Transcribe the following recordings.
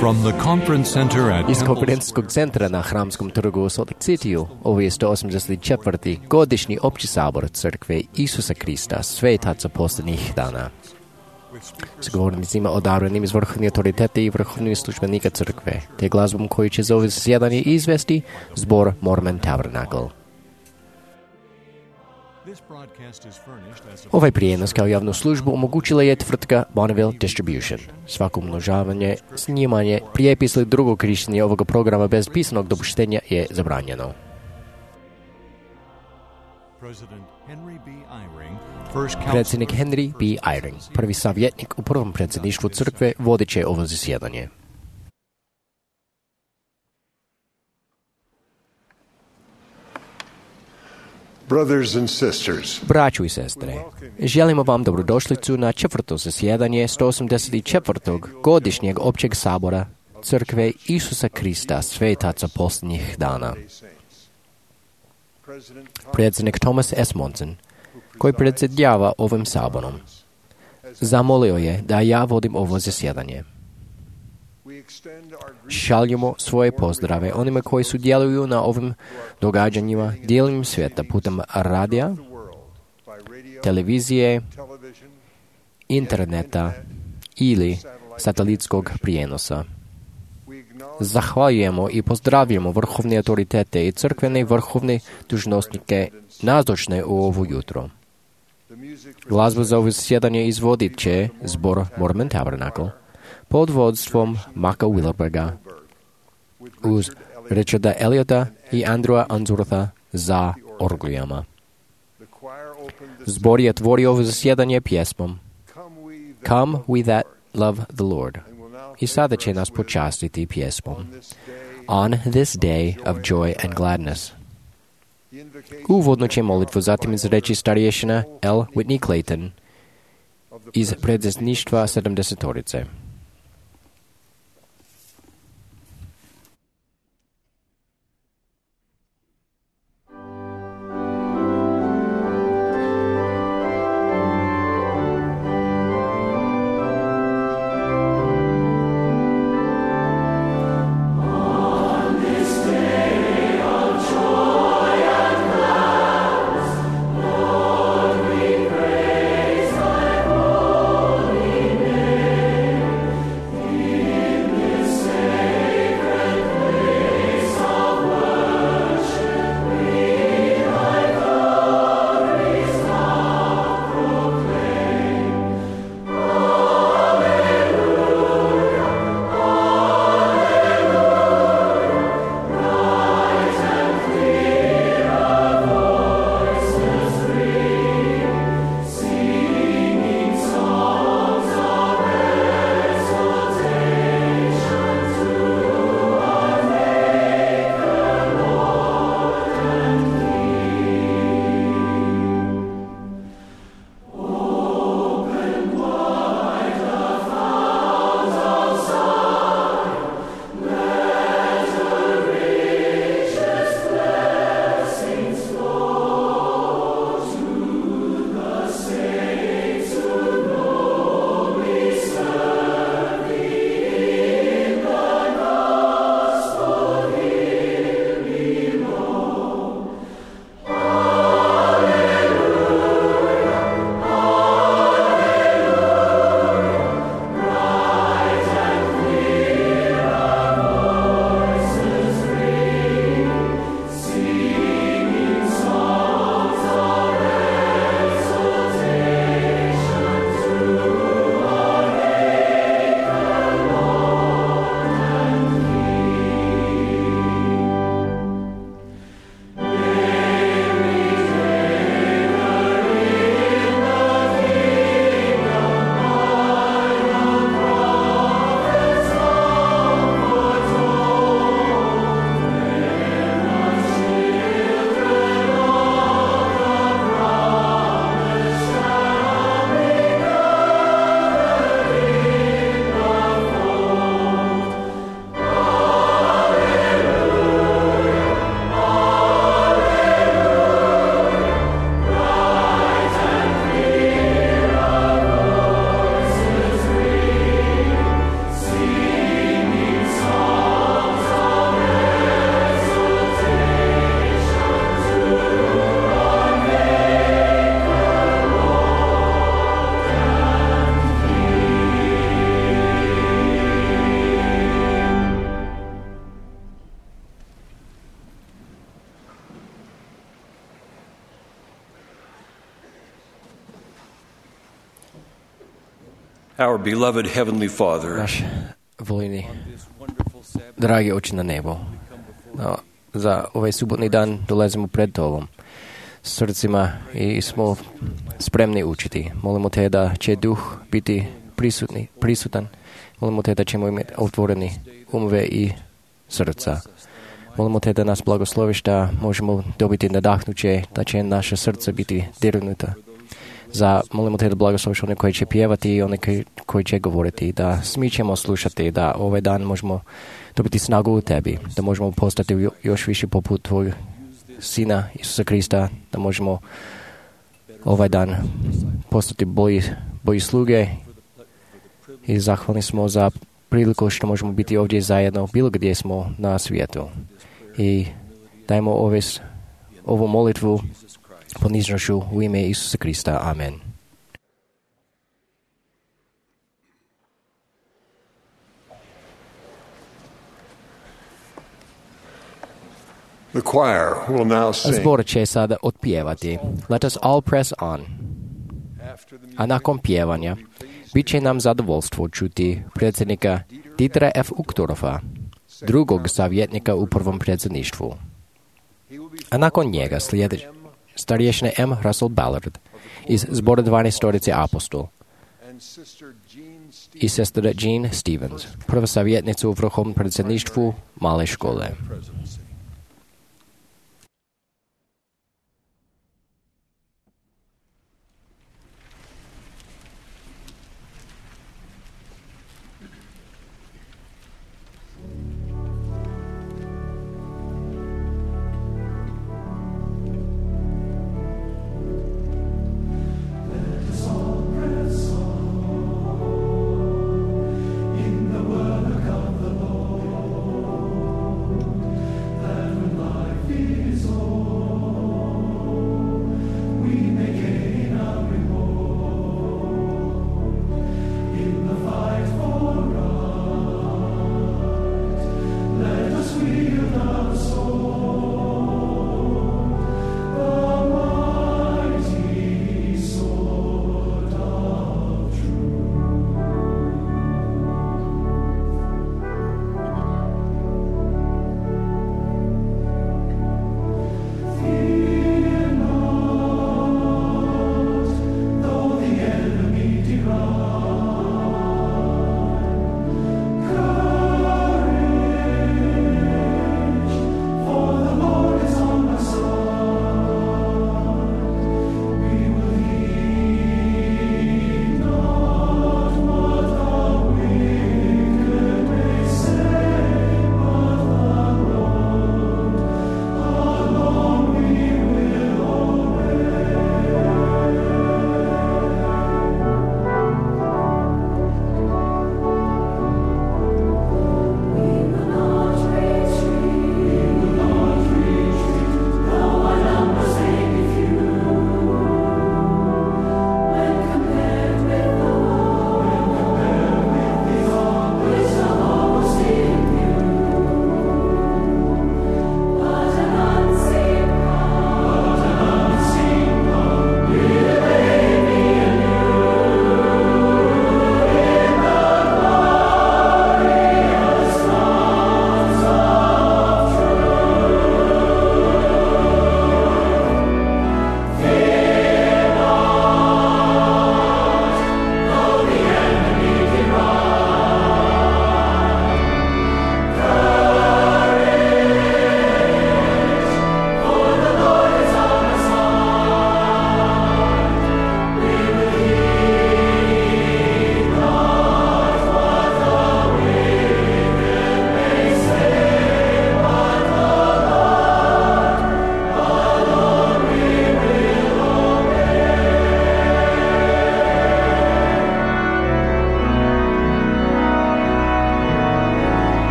From the conference center at Iz Temple konferencijskog centra na Hramskom trgu u Salt Lake Cityu, ovo je 184. godišnji opći sabor Crkve Isusa Krista, svetaca posljednjih dana. S govornicima odabranim iz vrhovnih autoriteta i vrhovnih službenika Crkve, te glazbom koji će za ovo zasjedanje izvesti zbor Mormon Tabernacle. Ovaj prijenos kao javnu službu omogućila je tvrtka Bonneville Distribution. Svako umnožavanje, snimanje, prijepis ili drugo korištenje ovoga programa bez pisanog dopuštenja je zabranjeno. Predsjednik Henry B. Eyring, prvi savjetnik u prvom predsjedništvu crkve, vodit će ovo zasjedanje. Brothers and sisters, Braćo i sestre, želimo vam dobrodošlicu na četvrto zasjedanje 184. godišnjeg općeg sabora Crkve Isusa Krista, svetaca posljednjih dana. Predsjednik Thomas S. Monson, koji predsjedava ovim saborom, zamolio je da ja vodim ovo zasjedanje. Šaljemo svoje pozdrave onima koji sudjeluju na ovim događanjima dijelom svijeta putem radija, televizije, interneta ili satelitskog prijenosa. Zahvaljujemo i pozdravljamo vrhovne autoritete i crkvene vrhovne dužnosnike nazočne u ovo jutro. Glazbu za ovo zasjedanje izvodit će zbor Mormon Tabernacle pod vodstvom Maka Wilberga uz Richarda Eliota i Andrewa Unswortha za orglijama. Zbor je otvorio ovo zasjedanje pjesmom Come we that love the Lord. I sada će nas počastiti pjesmom On this day of joy and gladness. Uvodno će molitvu zatim izreći starješina L. Whitney Clayton iz predsjedništva 70-torice. Our beloved Heavenly Father, Náš voljni, dragi oči na nebo, za ovaj subotni dan dolazimo pred Tobom srcima i smo spremni učiti. Molimo Te da će duh biti prisutan. Molimo Te da ćemo imati otvoreni umove i srca. Molimo Te da nas blagosloviš da možemo dobiti nadahnuće, da će naše srce biti dirnuta. Molimo Te da blagosloviš one koji će pjevati i one koji će govoriti, da smi ćemo slušati, da ovaj dan možemo dobiti snagu u Tebi, da možemo postati još više poput Tvojeg Sina Isusa Krista, da možemo ovaj dan postati bolji sluge i zahvalni smo za priliku što možemo biti ovdje zajedno bilo gdje smo na svijetu. I dajmo ovu molitvu poniznošću u ime Isusa Krista. Amen. The choir will now sing. Zbor će sada otpjevati Let us all press on. A nakon pjevanja bit će nam zadovoljstvo čuti predsjednika Dietera F. Uchtdorfa, drugog savjetnika u prvom predsjedništvu. A nakon njega slijedi starješina M. Russell Ballard iz zbora 12 apostol i sestra Jean Stevens, prva savjetnica u vrhovnom predsjedništvu male škole. For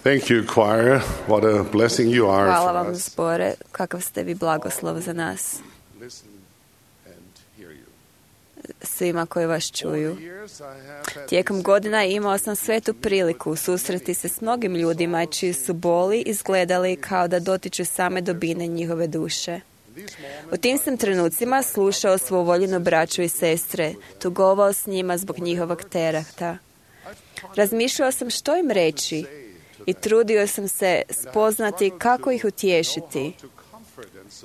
Thank you, choir. What a blessing you are Hvala for vam, us. zbore, kakav ste vi blagoslov za nas, Listen and hear you. svima koji vas čuju. Over the years, I have had Tijekom godina imao sam svetu priliku susreti se s mnogim ljudima čiji su boli izgledali kao da dotiču same dubine njihove duše. U tim sam trenucima slušao svu voljenu braću i sestre, tugovao s njima zbog njihovog tereta. Razmišljao sam što im reći i trudio sam se spoznati kako ih utješiti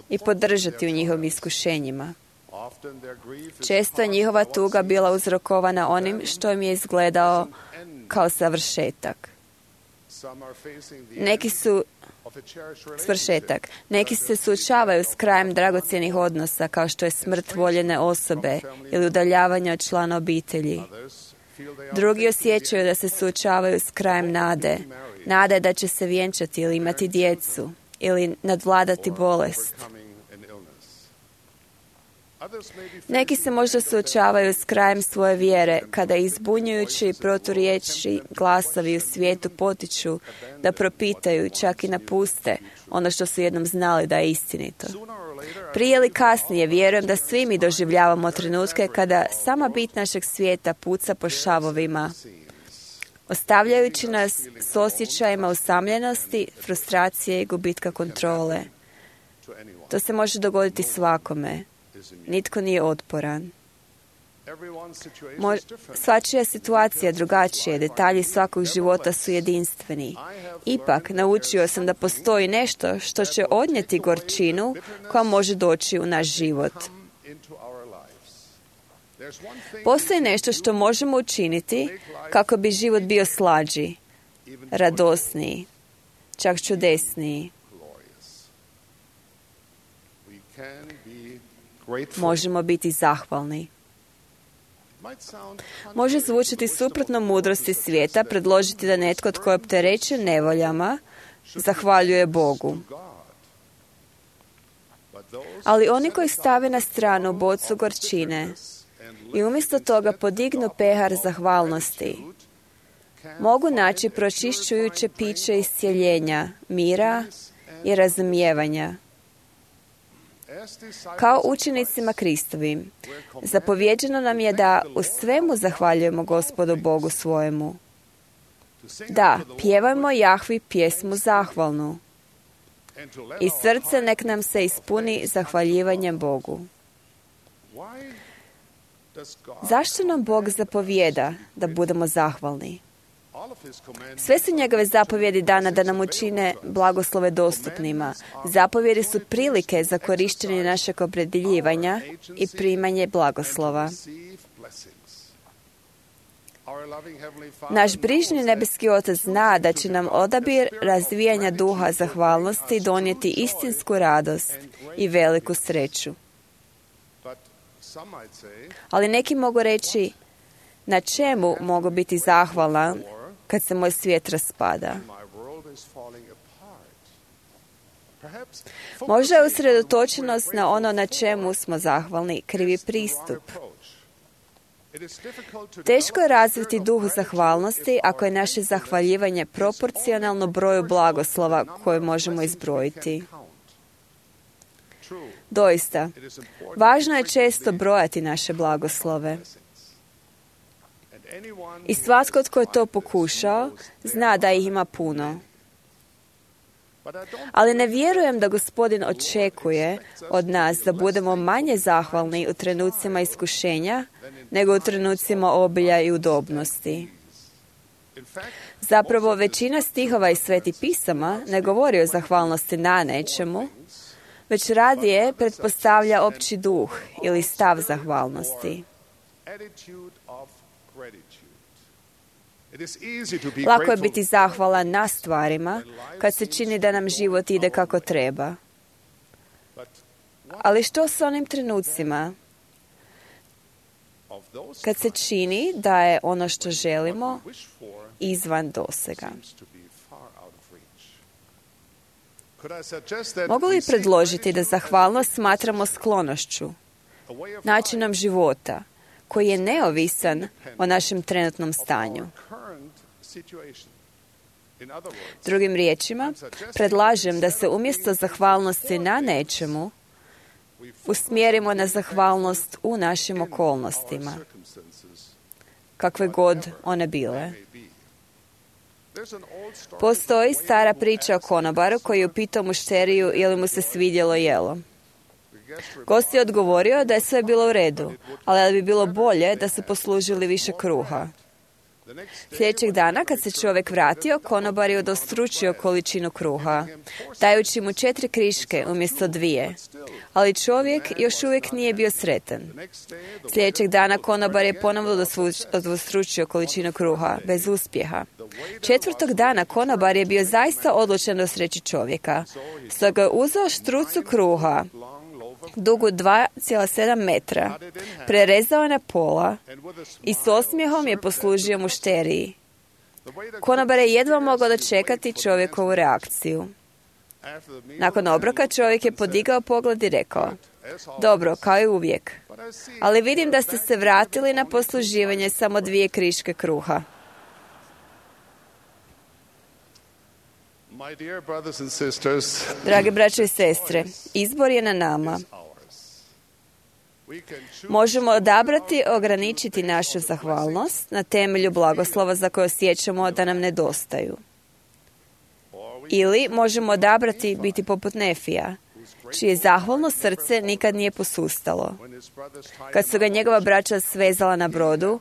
i podržati u njihovim iskušenjima. often their grief is Često je njihova tuga bila uzrokovana onim što im je izgledao kao savršetak. some are facing the Neki su of a cherished relationship. svršetak. Neki se suočavaju s krajem dragocjenih odnosa kao što je smrt voljene osobe ili udaljavanje od člana obitelji. Others feel they are Drugi osjećaju da se suočavaju s krajem nade da će se vjenčati ili imati djecu ili nadvladati bolest. overcoming an illness. Others may be Neki se možda suočavaju s krajem svoje vjere kada izbunjujući i proturječi glasovi u svijetu potiču da propitaju, čak i napuste ono što su jednom znali da je istinito. sooner or later Prije ili kasnije vjerujem da svi mi doživljavamo trenutke kada sama bit našeg svijeta puca po šavovima, ostavljajući nas s osjećajima usamljenosti, frustracije i gubitka kontrole. to anyone To se može dogoditi svakome. is immune. Nitko nije otporan. Everyone's situation is different. Svačija situacija drugačija, detalji svakog života su jedinstveni. Ipak, naučio sam da postoji nešto što će odnijeti gorčinu koja može doći u naš život. Come into our lives. There's one thing Postoji nešto što možemo učiniti kako bi život bio slađi, even radosniji, čak čudesniji. glorious. We can be grateful. Možemo biti zahvalni. Might sound Može zvučati suprotno mudrosti svijeta predložiti da netko tko je opterećen nevoljama zahvaljuje Bogu. God. But those Ali oni koji stave na stranu bocu gorčine and i umjesto toga podignu pehar zahvalnosti, mogu naći pročišćujuće piće iscjeljenja, mira i razumijevanja. as disciples Kao učenicima Kristovim, zapovjeđeno nam je da u svemu zahvaljujemo Gospodu Bogu svojemu. to sing Da, unto the Lord pjevajmo Jahvi pjesmu zahvalnu and to let i our srce heart nek nam se ispuni zahvaljivanjem Bogu. Why does God Zašto nam Bog zapovjeda da budemo zahvalni? all of his commands Sve su njegove zapovjedi dana da nam učine blagoslove dostupnima. Zapovjedi su prilike za korištenje našeg opredjeljivanja i primanje blagoslova. receive blessings? Our loving heavenly Father Naš brižni nebeski Otac zna da će nam odabir razvijanja duha zahvalnosti donijeti istinsku radost i veliku sreću. but some might say Ali neki mogu reći, na čemu mogu biti zahvalan kad se moj svijet raspada? my world is falling apart. Perhaps Možda je usredotočenost na ono na čemu smo zahvalni krivi pristup. Teško je razviti duh zahvalnosti ako je naše zahvaljivanje proporcionalno broju blagoslova koje možemo izbrojiti. Doista, važno je često brojati naše blagoslove. I svatko tko je to pokušao, zna da ih ima puno. Ali ne vjerujem da Gospodin očekuje od nas da budemo manje zahvalni u trenucima iskušenja nego u trenucima obilja i udobnosti. Zapravo, većina stihova iz Svetih pisama ne govori o zahvalnosti na nečemu, već radije pretpostavlja opći duh ili stav zahvalnosti. Lako je biti zahvalan na stvarima kad se čini da nam život ide kako treba. Ali što s onim trenucima kad se čini da je ono što želimo izvan dosega? Mogu li predložiti da zahvalnost smatramo sklonošću, načinom života, koji je neovisan o našem trenutnom stanju? Drugim riječima, predlažem da se umjesto zahvalnosti na nečemu usmjerimo na zahvalnost u našim okolnostima, kakve god one bile. Postoji stara priča o konobaru koji je upitao mušteriju je li mu se svidjelo jelo. Gost je odgovorio da je sve bilo u redu, ali da bi bilo bolje da su poslužili više kruha. Sljedećeg dana, kad se čovjek vratio, konobar je udostručio količinu kruha, dajući mu 4 kriške umjesto 2, ali čovjek još uvijek nije bio sretan. Sljedećeg dana konobar je ponovno udostručio količinu kruha, bez uspjeha. 4. dana konobar je bio zaista odlučan dosreći čovjeka. Stoga je uzeo štrucu kruha, dugu 2,7 metra, prerezao na pola i s osmijehom je poslužio mušteriji. Konobar je jedva mogao dočekati čovjekovu reakciju. Nakon obroka čovjek je podigao pogled i rekao: dobro, kao i uvijek, ali vidim da ste se vratili na posluživanje samo 2 kriške kruha. Dragi braće i sestre, izbor je na nama. Možemo odabrati ograničiti našu zahvalnost na temelju blagoslova za koje osjećamo da nam nedostaju. Ili možemo odabrati biti poput Nefija, čije zahvalno srce nikad nije posustalo. Kad su ga njegova braća svezala na brodu,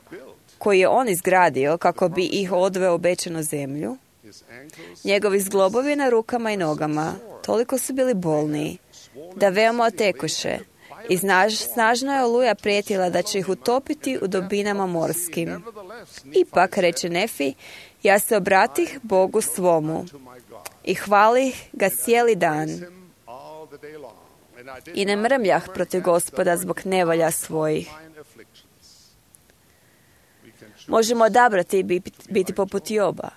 koji je on izgradio kako bi ih odveo u obećanu zemlju, njegovi zglobovi na rukama i nogama toliko su bili bolni da veoma otekoše i snažna je oluja prijetila da će ih utopiti u dubinama morskim. Ipak, reče Nefi, ja se obratih Bogu svomu i hvalih ga cijeli dan i ne mrmljah protiv Gospoda zbog nevolja svojih. Možemo odabrati biti poput Joba,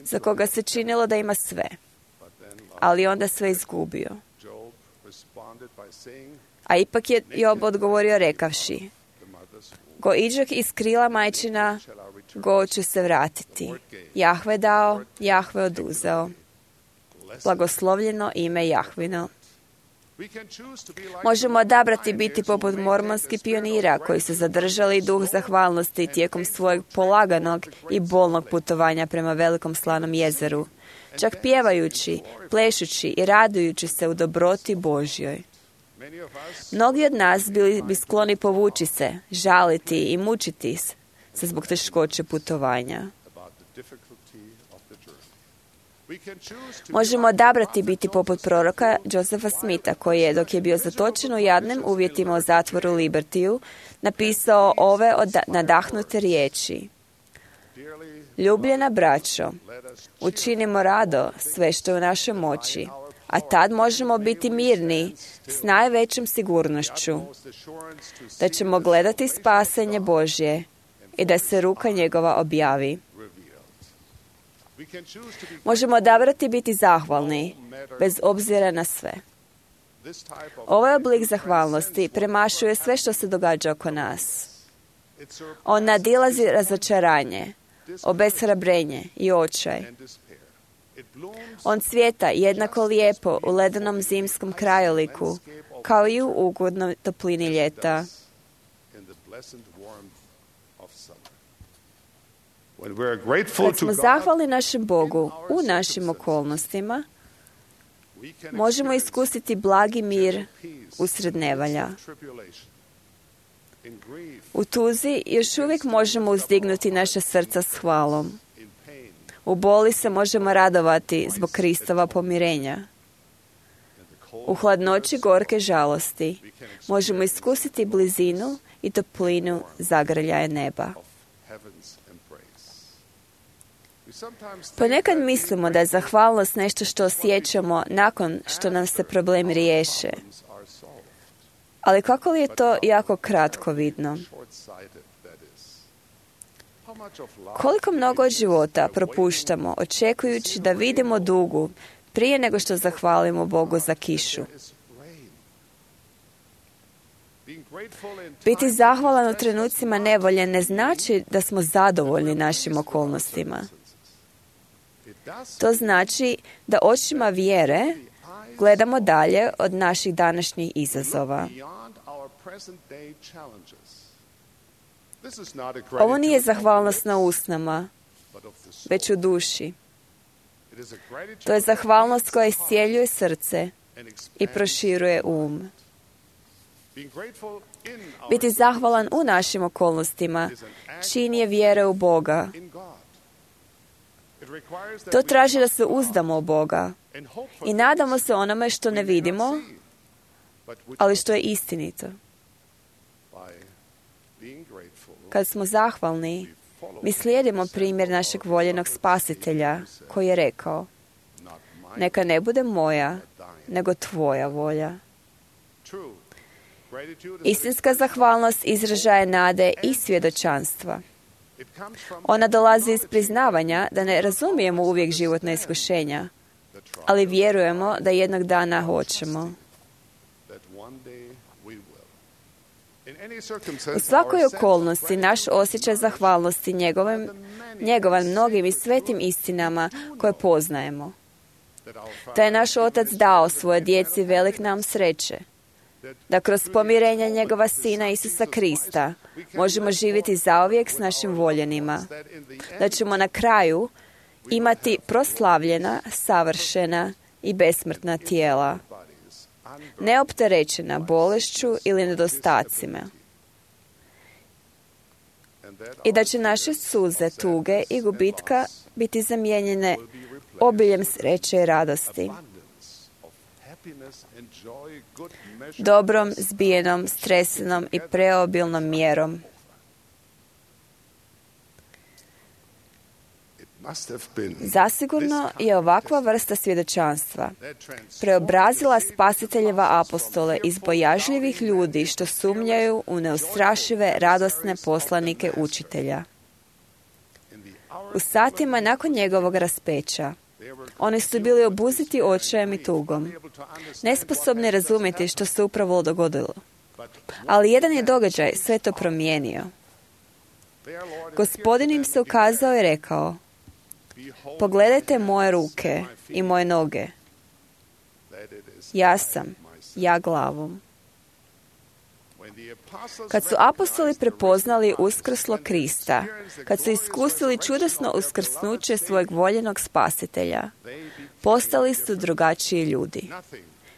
za koga se činilo da ima sve, ali onda sve izgubio. A ipak je Job odgovorio rekavši: go iđok iz krila majčina, go ću se vratiti. Jahve dao, Jahve oduzeo. Blagoslovljeno ime Jahvino. Možemo odabrati biti poput mormonskih pionira koji su zadržali duh zahvalnosti tijekom svojeg polaganog i bolnog putovanja prema velikom slanom jezeru, čak pjevajući, plešući i radujući se u dobroti Božjoj. Mnogi od nas bili bi skloni povući se, žaliti i mučiti se zbog teškoće putovanja. Možemo odabrati biti poput proroka Josepha Smitha, koji je, dok je bio zatočen u jadnim uvjetima u zatvoru Libertiju, napisao ove nadahnute riječi: ljubljena braćo, učinimo rado sve što je u našoj moći, a tad možemo biti mirni s najvećom sigurnošću da ćemo gledati spasenje Božje i da se ruka njegova objavi. Možemo odabrati biti zahvalni, bez obzira na sve. Ovaj oblik zahvalnosti premašuje sve što se događa oko nas. On nadilazi razočaranje, obeshrabrenje i očaj. On cvjeta jednako lijepo u ledenom zimskom krajoliku, kao i u ugodnoj toplini ljeta. Kad smo zahvalni našem Bogu u našim okolnostima, možemo iskusiti blagi mir usred nevolja. U tuzi još uvijek možemo uzdignuti naša srca s hvalom. U boli se možemo radovati zbog Kristova pomirenja. U hladnoći gorke žalosti možemo iskusiti blizinu i toplinu zagrljaja neba. Ponekad mislimo da je zahvalnost nešto što osjećamo nakon što nam se problemi riješe. Ali kako li je to jako kratko vidno? Koliko mnogo od života propuštamo očekujući da vidimo dugu prije nego što zahvalimo Bogu za kišu. Biti zahvalan u trenucima nevolje ne znači da smo zadovoljni našim okolnostima. To znači da očima vjere gledamo dalje od naših današnjih izazova. Ovo nije zahvalnost na usnama, već u duši. To je zahvalnost koja iscijeljuje srce i proširuje um. Biti zahvalan u našim okolnostima čin je vjere u Boga. To traži da se uzdamo u Boga i nadamo se onome što ne vidimo, ali što je istinito. Kad smo zahvalni, mi slijedimo primjer našeg voljenog Spasitelja koji je rekao: neka ne bude moja, nego tvoja volja. Istinska zahvalnost izražaje nade i svjedočanstva. Ona dolazi iz priznavanja da ne razumijemo uvijek životna iskušenja, ali vjerujemo da jednog dana hoćemo. U svakoj okolnosti naš osjećaj zahvalnosti njegovan mnogim i svetim istinama koje poznajemo. Da je naš Otac dao svoje djeci velik nam sreće, da kroz pomirenje njegova Sina Isusa Krista možemo živjeti zauvijek s našim voljenima, da ćemo na kraju imati proslavljena, savršena i besmrtna tijela, neopterećena bolešću ili nedostacima, i da će naše suze, tuge i gubitka biti zamijenjene obiljem sreće i radosti, dobrom, zbijenom, stresenom i preobilnom mjerom. Zasigurno je ovakva vrsta svjedočanstva preobrazila Spasiteljeva apostole iz bojažljivih ljudi što sumnjaju u neustrašive, radosne poslanike učitelja. U satima nakon njegovog raspeća oni su bili obuzeti očajem i tugom, nesposobni razumjeti što se upravo dogodilo. Ali jedan je događaj sve to promijenio. Gospodin im se ukazao i rekao: pogledajte moje ruke i moje noge. Ja sam, ja glavom. Kad su apostoli prepoznali uskrslo Krista, kad su iskusili čudesno uskrsnuće svojeg voljenog Spasitelja, postali su drugačiji ljudi.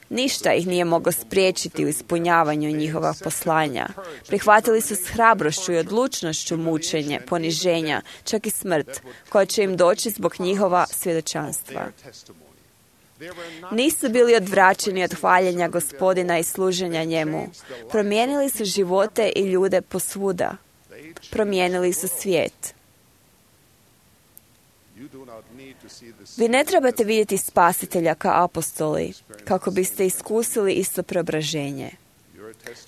Ništa ih nije moglo spriječiti u ispunjavanju njihova poslanja. Prihvatili su s hrabrošću i odlučnošću mučenje, poniženja, čak i smrt, koja će im doći zbog njihova svjedočanstva. Nisu bili odvraćeni od hvaljenja Gospodina i služenja njemu. Promijenili su živote i ljude posvuda. Promijenili su svijet. Vi ne trebate vidjeti Spasitelja kao apostoli, kako biste iskusili isto preobraženje.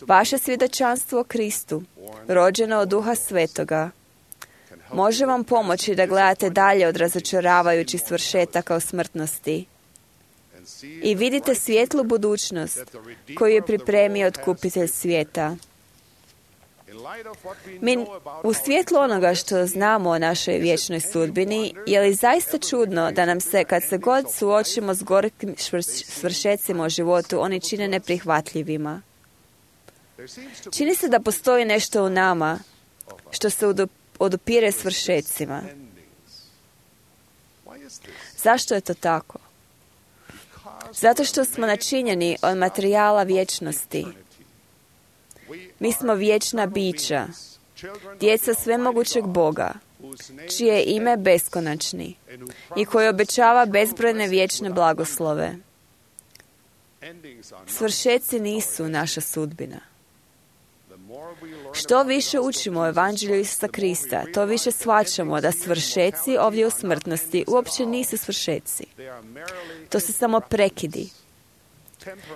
Vaše svjedočanstvo o Kristu, rođeno od Duha Svetoga, može vam pomoći da gledate dalje od razočaravajućih svršetaka o smrtnosti i vidite svijetlu budućnost koju je pripremio Otkupitelj svijeta. Mi u svjetlu onoga što znamo o našoj vječnoj sudbini, je li zaista čudno da nam se, kad se god suočimo s gorkim svršecima u životu, oni čine neprihvatljivima? Čini se da postoji nešto u nama što se odupire svršecima. Zašto je to tako? Zato što smo načinjeni od materijala vječnosti. Mi smo vječna bića, djeca svemogućeg Boga, čije je ime beskonačni i koji obećava bezbrojne vječne blagoslove. Svršeci nisu naša sudbina. Što više učimo o Evanđelju Isusa Krista, to više shvaćamo da svršeci ovdje u smrtnosti uopće nisu svršeci. To su samo prekidi.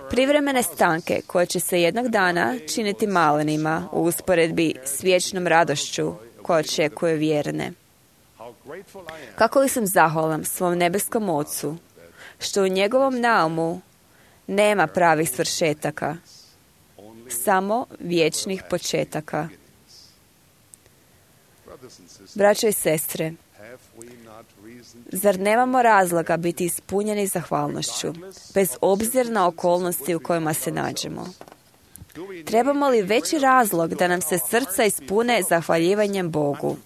Privremene stanke koje će se jednog dana činiti malenima u usporedbi s vječnom radošću koja očekuje vjerne. Kako li sam zahvalan svom nebeskom Ocu, što u njegovom naumu nema pravih svršetaka, samo vječnih početaka. Braćo i sestre, zar nemamo razloga biti ispunjeni zahvalnošću, bez obzira na okolnosti u kojima se nađemo? Trebamo li veći razlog da nam se srca ispune zahvaljivanjem Bogu?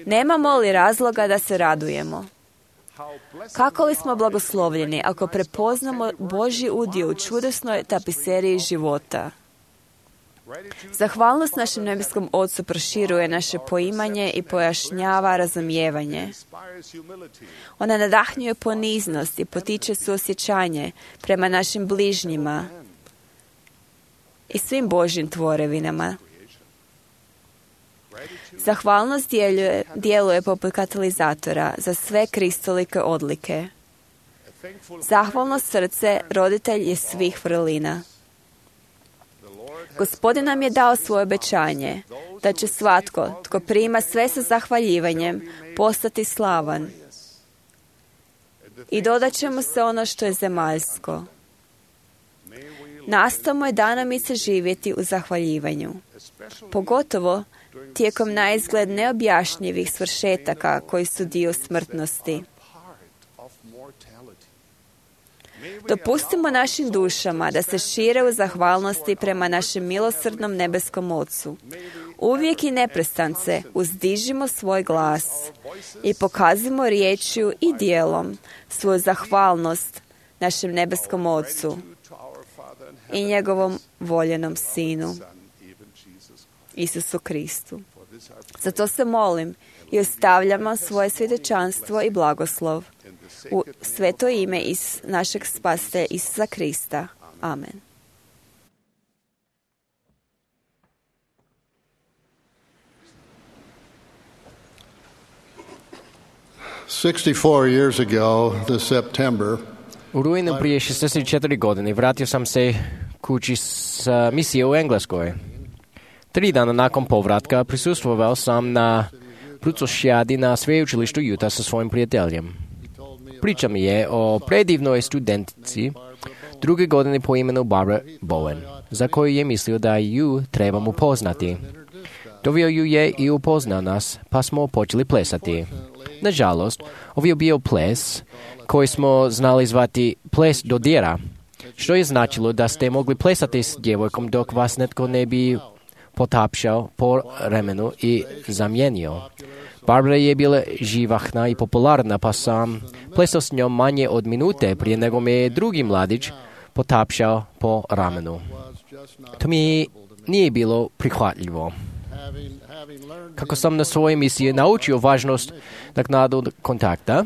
Nemamo li razloga da se radujemo? Kako li smo blagoslovljeni ako prepoznamo Božji udio u čudesnoj tapiseriji života? Zahvalnost našem nebeskom Ocu proširuje naše poimanje i pojašnjava razumijevanje. Ona nadahnjuje poniznost i potiče suosjećanje prema našim bližnjima i svim Božjim tvorevinama. Zahvalnost djeluje poput katalizatora za sve kristolike odlike. Zahvalno srce roditelj je svih vrlina. Gospodin nam je dao svoje obećanje da će svatko tko prima sve sa zahvaljivanjem postati slavan. I dodat će mu se ono što je zemaljsko. Nastavimo je danamice živjeti u zahvaljivanju, pogotovo tijekom naizgled neobjašnjivih svršetaka koji su dio smrtnosti. Dopustimo našim dušama da se šire u zahvalnosti prema našem milosrdnom nebeskom Ocu. Uvijek i neprestance uzdižimo svoj glas i pokazimo riječju i djelom svoju zahvalnost našem nebeskom Ocu i njegovom voljenom Sinu, Isusu Kristu. Zato se molim i ostavljamo svoje svjedočanstvo i blagoslov u sveto ime iz našeg Spasitelja Isusa Krista. Amen. Years ago, this September, U rujnu prije 64 godine vratio sam se kući s misije u Engleskoj. 3 dana nakon povratka prisustvovao sam na brucošijadi na sveučilištu Utah sa svojim prijateljem. Priča mi je o predivnoj studentici 2. godine po imenu Barbara Bowen, za koju je mislio da ju trebam upoznati. Doveo ju je i upoznao nas, pa smo počeli plesati. Nažalost, ovo je bio ples koji smo znali zvati ples dodira, što je značilo da ste mogli plesati s djevojkom dok vas netko ne bi potapšao po ramenu i zamijenio. Barbara je bila živahna i popularna, pa sam plesao s njom manje od minute prije nego me je drugi mladić potapšao po ramenu. To mi nije bilo prihvatljivo. Kako sam na svojoj misiji naučio važnost naknadnog kontakta,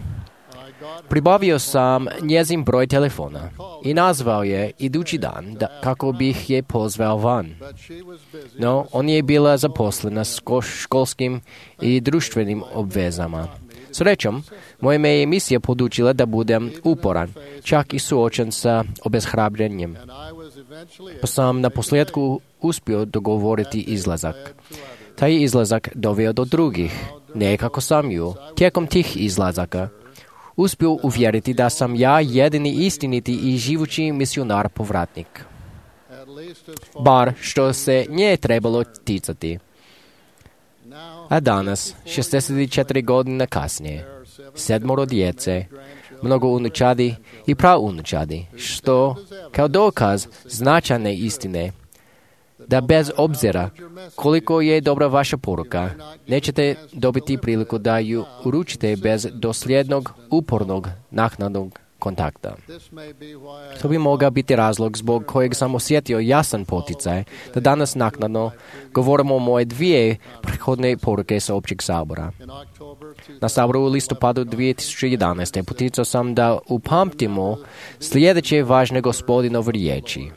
pribavio sam njezin broj telefona i nazvao je idući dan kako bih je pozvao van. No, on je bila zaposlena s školskim i društvenim obvezama. Srećom, moja me je misija podučila da budem uporan, čak i suočen sa obeshrabrenjem. Pa sam na posljedku uspio dogovoriti izlazak. Taj izlazak doveo do drugih, nekako sam ju, tijekom tih izlazaka, uspio uvjeriti da sam ja jedini istiniti i živući misionar povratnik. Bar što se nje trebalo ticati. A danas, 64 godine kasnije, 7 djece, mnogo unučadi i praunučadi, što kao dokaz značajne istine, da bez obzira koliko je dobra vaša poruka, nećete dobiti priliku da ju uručite bez dosljednog, upornog, naknadnog kontakta. To bi mogao biti razlog zbog kojeg sam osjetio jasan poticaj da danas naknadno govorimo o moje 2 prethodne poruke sa općeg sabora. Na saboru u listopadu 2011. poticao sam da upamtimo sljedeće važne Gospodinove riječi.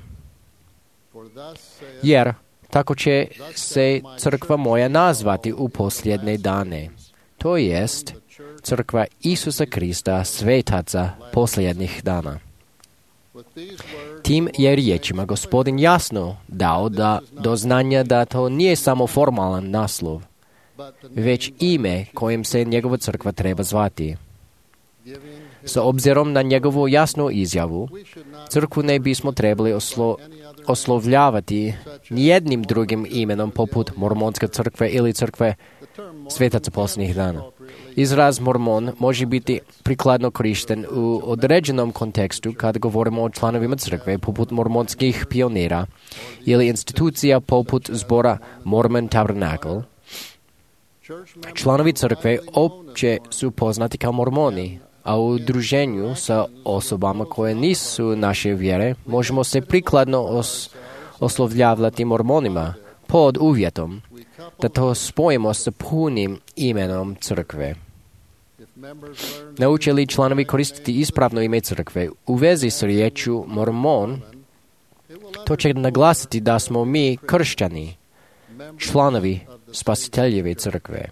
Jer tako će se crkva moja nazvati u posljednje dane. To jest crkva Isusa Krista, svetaca posljednjih dana. Tim je riječima Gospodin jasno dao do znanja da to nije samo formalan naslov, već ime kojim se njegova crkva treba zvati. Sa obzirom na njegovu jasnu izjavu, crkvu ne bismo trebali oslovljavati nijednim drugim imenom poput Mormonska crkve ili crkve svetaca posljednjih dana. Izraz mormon može biti prikladno korišten u određenom kontekstu kada govorimo o članovima crkve poput mormonskih pionira ili institucija poput zbora Mormon Tabernacle. Članovi crkve opće su poznati kao mormoni, a u druženju sa osobama koje nisu naše vjere možemo se prikladno oslovljavati mormonima pod uvjetom da to spojimo sa punim imenom crkve. Nauče li članovi koristiti ispravno ime crkve u vezi s riječju mormon, to će naglasiti da smo mi kršćani, članovi Spasiteljeve crkve.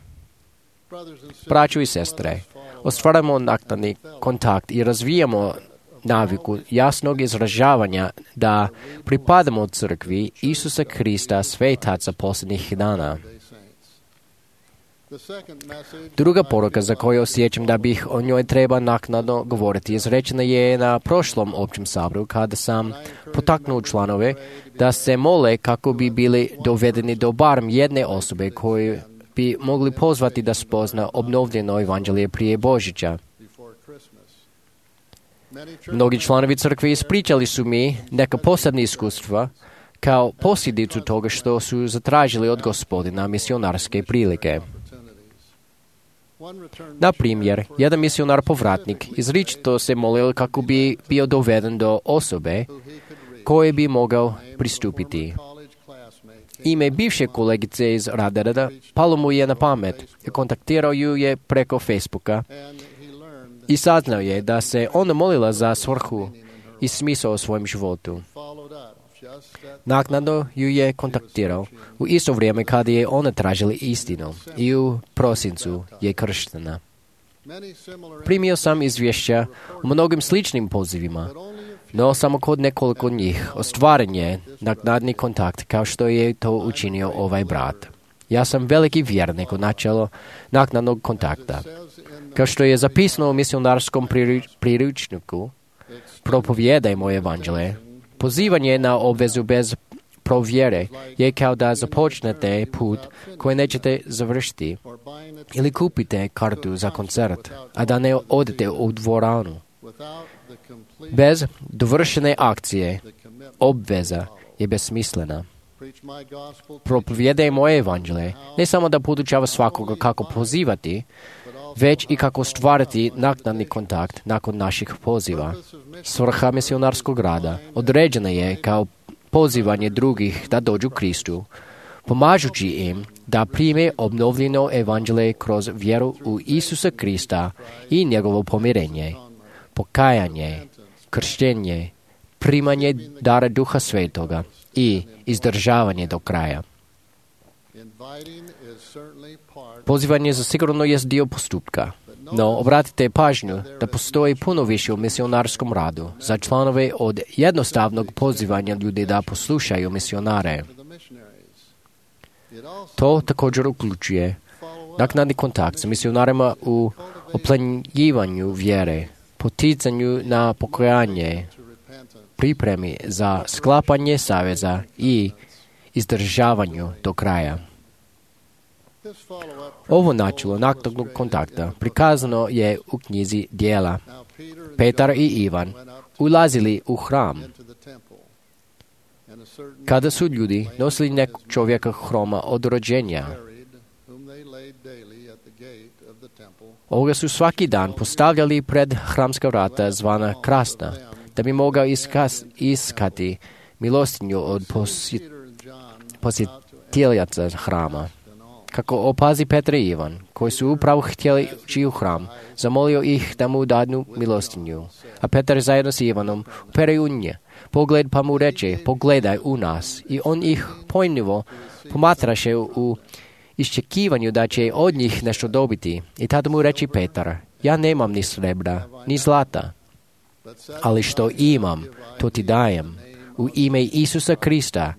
Braćo i sestre, ostvaramo naknadni kontakt i razvijamo naviku jasnog izražavanja da pripadamo crkvi Isusa Krista, svetaca posljednjih dana. Druga poruka za koju osjećam da bih o njoj treba naknadno govoriti izrečena je na prošlom općem saboru kada sam potaknuo članove da se mole kako bi bili dovedeni do barem jedne osobe koju bi mogli pozvati da spozna obnovljeno evanđelje prije Božića. Mnogi članovi crkve ispričali su mi neka posebna iskustva kao posljedicu toga što su zatražili od Gospodina misionarske prilike. Na primjer, jedan misionar povratnik izričito se molio kako bi bio doveden do osobe koje bi mogao pristupiti. Ime bivše kolegice iz Radarada palo mu je na pamet i kontaktirao ju je preko Facebooka i saznao je da se ona molila za svrhu i smisao u svojem životu. Naknadno ju je kontaktirao u isto vrijeme kada je ona tražila istinu i u prosincu je krštena. Primio sam izvješća o mnogim sličnim pozivima, no samo kod nekoliko njih ostvaren je naknadni kontakt kao što je to učinio ovaj brat. Ja sam veliki vjernik u načelo naknadnog kontakta. Kao što je zapisano u misionarskom priručniku, propovijedajmo evanđelje. Pozivanje na obvezu bez provjere je kao da započnete put koji nećete završiti ili kupite kartu za koncert, a da ne odete u dvoranu. Bez dovršene akcije, obveza je besmislena. Propovijedaj moje evanđelje, ne samo da podučava svakoga kako pozivati, već i kako stvarati naknadni kontakt nakon naših poziva. Svrha misionarskog rada određena je kao pozivanje drugih da dođu Kristu, pomažući im da prime obnovljeno evanđelje kroz vjeru u Isusa Krista i njegovo pomirenje, pokajanje, krštenje, primanje dara Duha Svetoga i izdržavanje do kraja. Pozivanje zasigurno jest dio postupka, no obratite pažnju da postoji puno više u misionarskom radu za članove od jednostavnog pozivanja ljudi da poslušaju misionare. To također uključuje naknadni kontakt sa misionarima u oplemenjivanju vjere, poticanju na pokajanje, pripremi za sklapanje saveza i izdržavanju do kraja. Ovo načelo naknadnog kontakta prikazano je u knjizi Djela. Petar i Ivan ulazili u hram. Kada su ljudi nosili nekog čovjeka hroma od rođenja, ovoga su svaki dan postavljali pred hramska vrata zvana krasna, da bi mogao iskati milostinju od posjetiteljaca hrama. Kako opazi Petar i Ivan, koji su upravo htjeli ući u hram, zamolio ih da mu dadnu milostinju. A Petar zajedno s Ivanom upere u nje pogled pa mu reče, pogledaj u nas. I on ih pojmljivo pomatraše u iščekivanju da će od njih nešto dobiti. I tada mu reče Petar, ja nemam ni srebra, ni zlata, ali što imam, to ti dajem. U ime Isusa Krista,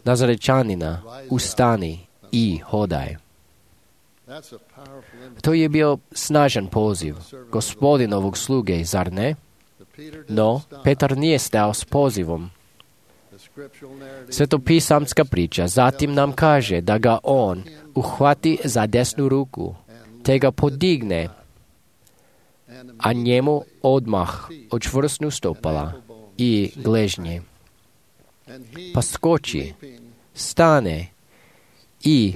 Nazarečanina, ustani i hodaj. To je bio snažan poziv Gospodinovog sluge, zar ne? No, Petar nije stao s pozivom. Svetopisamska priča zatim nam kaže da ga on uhvati za desnu ruku, te ga podigne, a njemu odmah očvrsnu stopala i gležnje. Pa skoči, stane i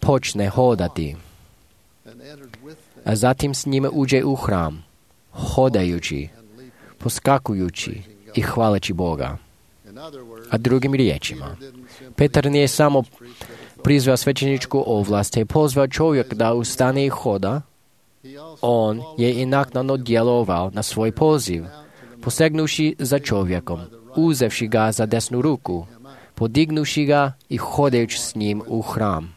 počne hodati. A zatim s njime uđe u hram, hodajući, poskakujući i hvaleći Boga. A drugim riječima, Petar nije samo prizvao svećeničku ovlast te pozvao čovjek da ustane i hoda, on je i naknadno djelovao na svoj poziv, posegnuši za čovjekom, uzevši ga za desnu ruku, podignuši ga i hodajući s njim u hram.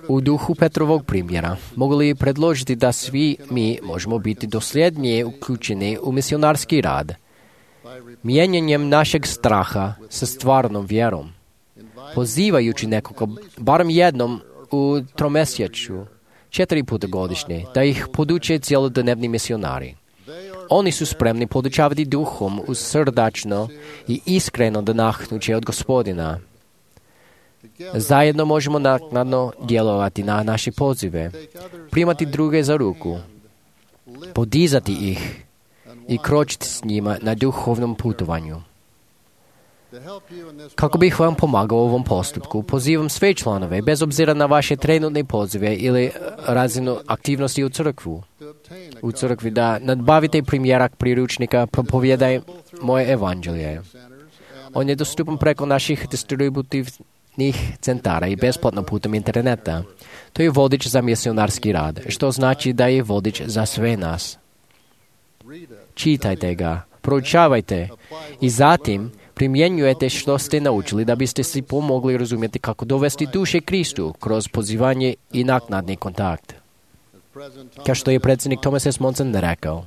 U duhu Petrovog primjera mogu li predložiti da svi mi možemo biti dosljednije uključeni u misionarski rad, mijenjanjem našeg straha sa stvarnom vjerom, pozivajući nekoga barem jednom u tromjesečju, 4 puta godišnje, da ih poduče cjelodnevni misionari. Oni su spremni podučavati duhom uz srdačno i iskreno nadahnuće od Gospodina. Zajedno možemo naknadno djelovati na naše pozive, primati druge za ruku, podizati ih i kročiti s njima na duhovnom putovanju. Kako bih vam pomagao u ovom postupku, pozivam sve članove, bez obzira na vaše trenutne pozive ili razinu aktivnosti u crkvi, da nadbavite primjerak priručnika Propovijedaj moje evanđelje. On je dostupan preko naših distributivnih centara i besplatno putem interneta. To je vodič za misionarski rad, što znači da je vodič za sve nas. Čitajte ga, proučavajte i zatim primjenjujete što ste naučili da biste si pomogli razumjeti kako dovesti duše Kristu kroz pozivanje i naknadni kontakt. Kao što je predsjednik Thomas S. Monson rekao,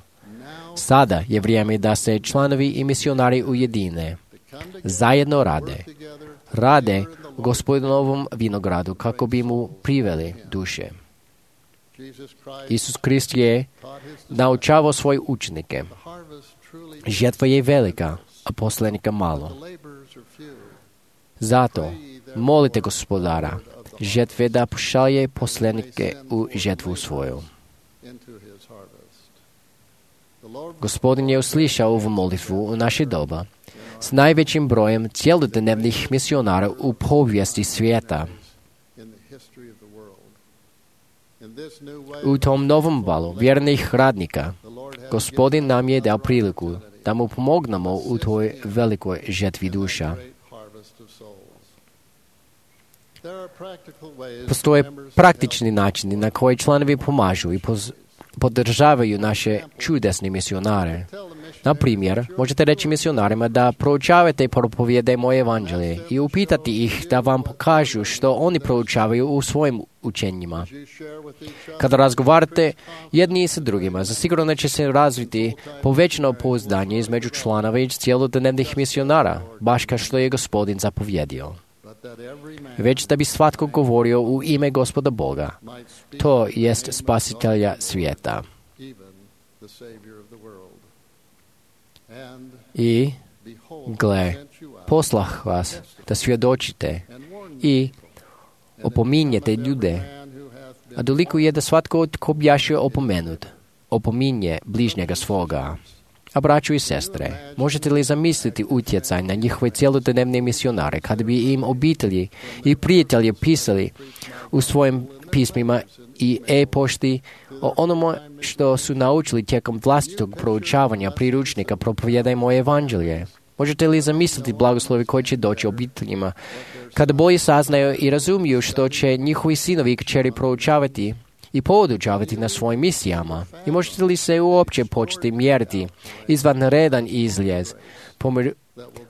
sada je vrijeme da se članovi i misionari ujedine, zajedno rade u Gospodinovom vinogradu kako bi mu priveli duše. Isus Krist je naučavao svoje učenike. Žetva je velika, a poslanika malo. Zato molite Gospodara žetve da pošalje poslanike u žetvu svoju. Gospodin je uslišao ovu molitvu u naše doba s najvećim brojem cjelodnevnih misionara u povijesti svijeta. U tom novom valu vjernih radnika Gospodin nam je dao priliku da mu pomognemo u toj velikoj žetvi duša. Postoje praktični načini na koji članovi pomažu i podržavaju naše čudesne misionare. Na primjer, možete reći misionarima da proučavate i propovijedaj moje evanđelje i upitati ih da vam pokažu što oni proučavaju u svojim učenjima. Kada razgovarate jedni sa drugima, zasigurno će se razviti povećano pouzdanje između članova i cjelodnevnih misionara, baš kao što je Gospodin zapovjedio. Već da bi svatko govorio u ime Gospoda Boga, to jest Spasitelja svijeta. I, gle, poslah vas da svjedočite i opominjete ljude, a dolikuje da svatko tko bjaše opomenut, opominje bližnjega svoga. A braćo i sestre, možete li zamisliti utjecaj na njihove cjelodnevne misionare kada bi im obitelji i prijatelji pisali u svojim pismima i e-pošti o onome što su naučili tijekom vlastitog proučavanja priručnika Propovijedaj moje evanđelje? Možete li zamisliti blagoslovi koji će doći obiteljima kada bolje saznaju i razumiju što će njihovi sinovi i kćeri proučavati i podučavati na svojim misijama? I možete li se uopće početi mjeriti izvanredan izljez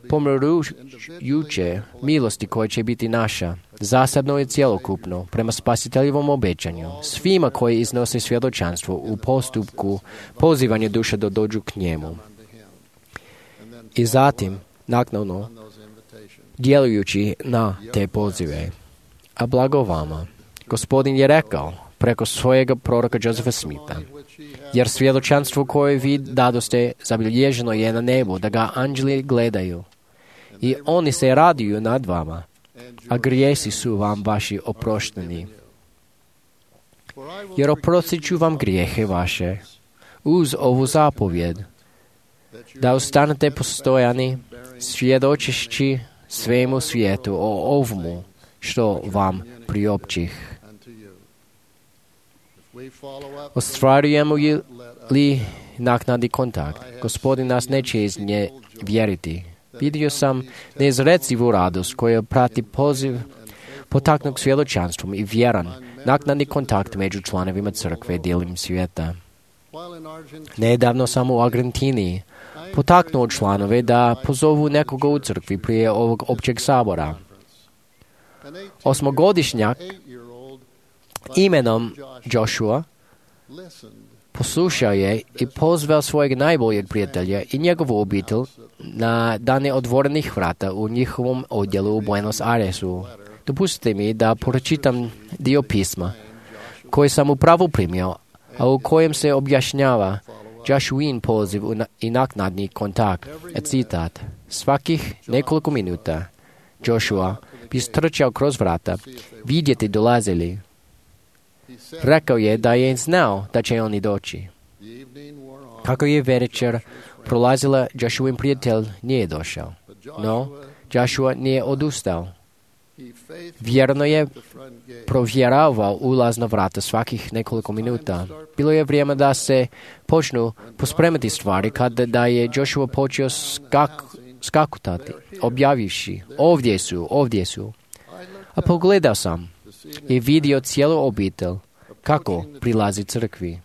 pomirujuće milosti koje će biti naša, zasadno i cjelokupno, prema spasiteljevom obećanju, svima koji iznose svjedočanstvo u postupku pozivanja duše da dođu k njemu. I zatim, naknadno, djelujući na te pozive. A blago vama, Gospodin je rekao preko svojega proroka Josepha Smitha, jer svjedočanstvo koje vi dadoste zabilježeno je na nebu, da ga anđeli gledaju. I oni se raduju nad vama, a grijesi su vam vaši oprošteni. Jer oprostit ću vam grijehe vaše, uz ovu zapovjed, da ostanete postojani, svjedočeći svemu svijetu o ovomu što vam priopćih. Ostvarujemo li naknadni kontakt, Gospodin nas neće iz nje vjeriti. Vidio sam neizrecivu radost koja prati poziv potaknut svjedočanstvom i vjeran naknadni kontakt među članovima crkve diljem svijeta. Nedavno sam u Argentini potaknuo članove da pozovu nekoga u crkvi prije ovog općeg sabora. 8-godišnjak imenom Joshua poslušao je i pozvao svojeg najboljeg prijatelja i njegovu obitelj na dane otvorenih vrata u njihovom odjelu u Buenos Airesu. Dopustite mi da pročitam dio pisma koji sam upravo primio, a u kojem se objašnjava Joshuin poziv i naknadni kontakt. Citat: svakih nekoliko minuta Joshua bi strčao kroz vrata, vidjeti dolazili. Rekao je da je znao da će oni doći. Kako je večer prolazila, Joshuin prijatelj nije došao. No, Joshua nije odustao. Vjerno je provjeravao ulazna vrata svakih nekoliko minuta. Bilo je vrijeme da se počnu pospremati stvari kada je Joshua počeo skakutati, objavivši: ovdje su. A pogledao sam i vidio cijelu obitelj kako prilazi crkvi.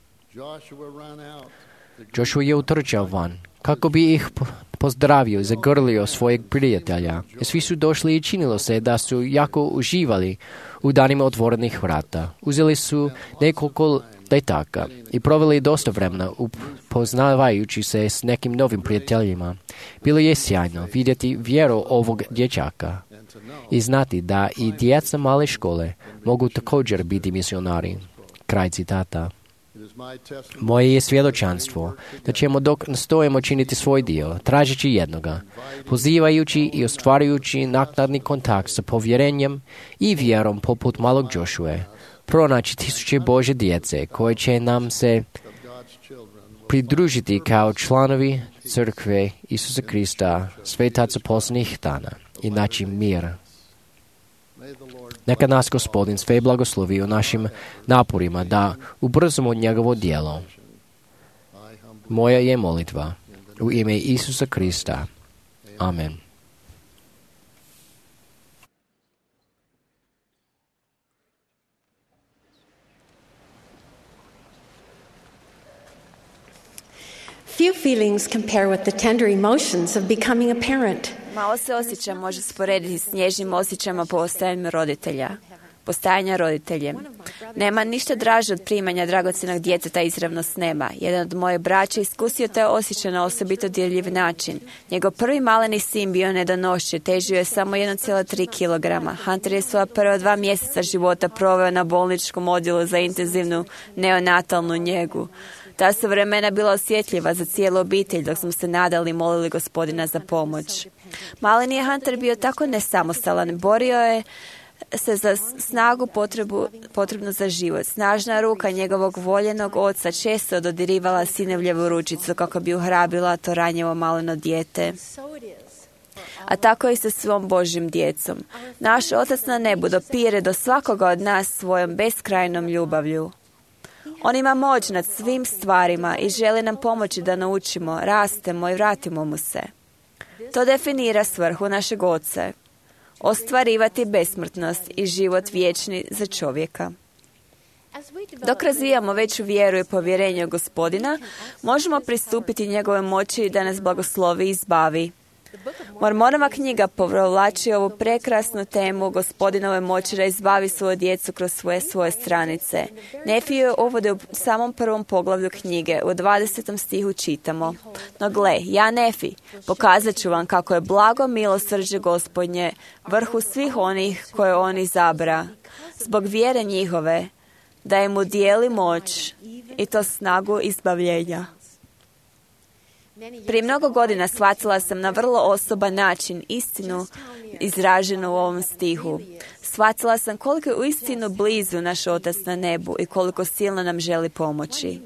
Joshua je utrčao van kako bi ih pozdravio i zagrlio svojeg prijatelja. I svi su došli i činilo se da su jako uživali u danima otvorenih vrata. Uzeli su nekoliko letaka i proveli dosta vremena upoznavajući se s nekim novim prijateljima. Bilo je sjajno vidjeti vjeru ovog dječaka i znati da i djeca male škole mogu također biti misionari. Kraj citata. Moje je svjedočanstvo da ćemo dok nastojimo činiti svoj dio, tražeći jednoga, pozivajući i ostvarujući naknadni kontakt sa povjerenjem i vjerom poput malog Joshue, pronaći tisuće Božje djece koje će nam se pridružiti kao članovi crkve Isusa Krista, svetaca posljednjih dana i naći mir. Neka nas Gospodin sve blagoslovi u našim naporima da ubrzamo njegovo djelo. Moja je molitva u ime Isusa Krista. Amen. Few feelings compare with the tender emotions of becoming a parent. Malo se osjećaj može sporediti s nježnim osjećajima postajanja roditeljem. Nema ništa draže od primanja dragocjenog djeteta izravno s neba. Jedan od moje braće iskusio taj osjećaj na osobito dirljiv način. Njegov prvi maleni sin bio nedonošće, težio je samo 1,3 kg. Hunter je svoja prva 2 mjeseca života proveo na bolničkom odjelu za intenzivnu neonatalnu njegu. Ta su vremena bila osjetljiva za cijelu obitelj dok smo se nadali i molili Gospodina za pomoć. Maleni je Hunter bio tako nesamostalan, borio je se za snagu potrebnu za život. Snažna ruka njegovog voljenog oca često dodirivala sinovljevu ručicu kako bi uhrabila to ranjivo maleno dijete. A tako i sa svom Božjim djecom. Naš Otac na nebu dopire do svakoga od nas svojom beskrajnom ljubavlju. On ima moć nad svim stvarima i želi nam pomoći da naučimo, rastemo i vratimo mu se. To definira svrhu našeg Oca. Ostvarivati besmrtnost i život vječni za čovjeka. Dok razvijamo veću vjeru i povjerenje u Gospodina, možemo pristupiti njegove moći da nas blagoslovi i izbavi. Mormonova knjiga povlači ovu prekrasnu temu Gospodinove moći da izbavi svoju djecu kroz svoje stranice. Nefiju je uvode u samom prvom poglavlju knjige. U 20. stihu čitamo: no gle, ja Nefi, pokazat ću vam kako je blago milosrđe Gospodnje vrhu svih onih koje on izabra. Zbog vjere njihove, da im udijeli moć i to snagu izbavljenja. Prije mnogo godina shvatila sam na vrlo osoban način istinu izraženu u ovom stihu. Shvatila sam koliko je uistinu blizu naš Otac na nebu i koliko silno nam želi pomoći.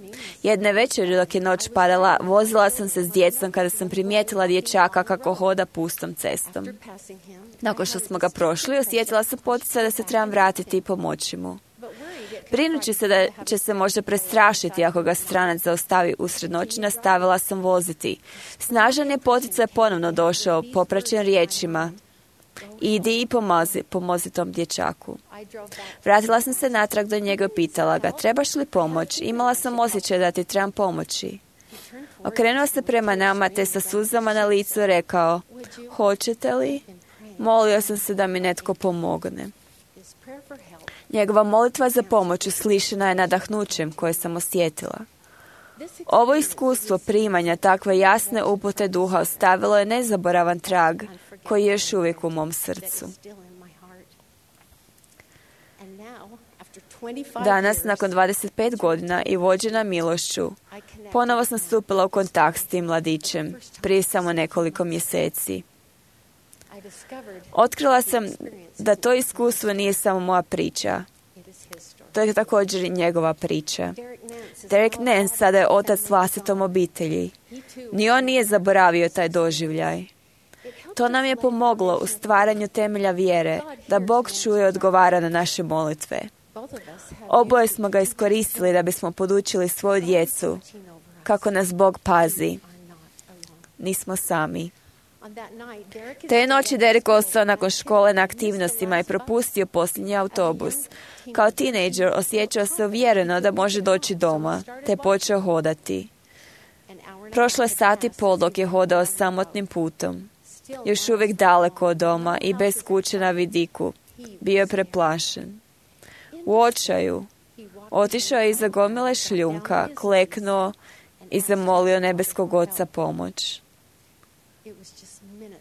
Jedne večeri dok je noć padala, vozila sam se s djecom kada sam primijetila dječaka kako hoda pustom cestom. Nakon što smo ga prošli, osjetila sam poticaj da se trebam vratiti i pomoći mu. Brinući se da će se možda prestrašiti ako ga stranac zaustavi usred noći, nastavila sam voziti. Snažan je poticaj ponovno došao, popraćen riječima: idi i pomozi tom dječaku. Vratila sam se natrag do njega i pitala ga: trebaš li pomoć? Imala sam osjećaj da ti trebam pomoći. Okrenuo se prema nama te sa suzama na licu rekao: hoćete li? Molio sam se da mi netko pomogne. Njegova molitva za pomoć uslišena je nadahnućem koje sam osjetila. Ovo iskustvo primanja takve jasne upute duha ostavilo je nezaboravan trag koji je još uvijek u mom srcu. Danas, nakon 25 godina i vođena milošću, ponovo sam stupila u kontakt s tim mladićem prije samo nekoliko mjeseci. Otkrila sam da to iskustvo nije samo moja priča. To je također i njegova priča. Derek Nance sada je otac vlastitom obitelji. Ni on nije zaboravio taj doživljaj. To nam je pomoglo u stvaranju temelja vjere, da Bog čuje i odgovara na naše molitve. Oboje smo ga iskoristili da bismo podučili svoju djecu kako nas Bog pazi. Nismo sami. Te noći Derek ostao nakon škole na aktivnostima i propustio posljednji autobus. Kao tinejdžer osjećao se uvjereno da može doći doma, te počeo hodati. Prošlo je sat i pol dok je hodao samotnim putom. Još uvijek daleko od doma i bez kuće na vidiku. Bio je preplašen. U očaju otišao je iza gomile šljunka, kleknuo i zamolio nebeskog Oca pomoć.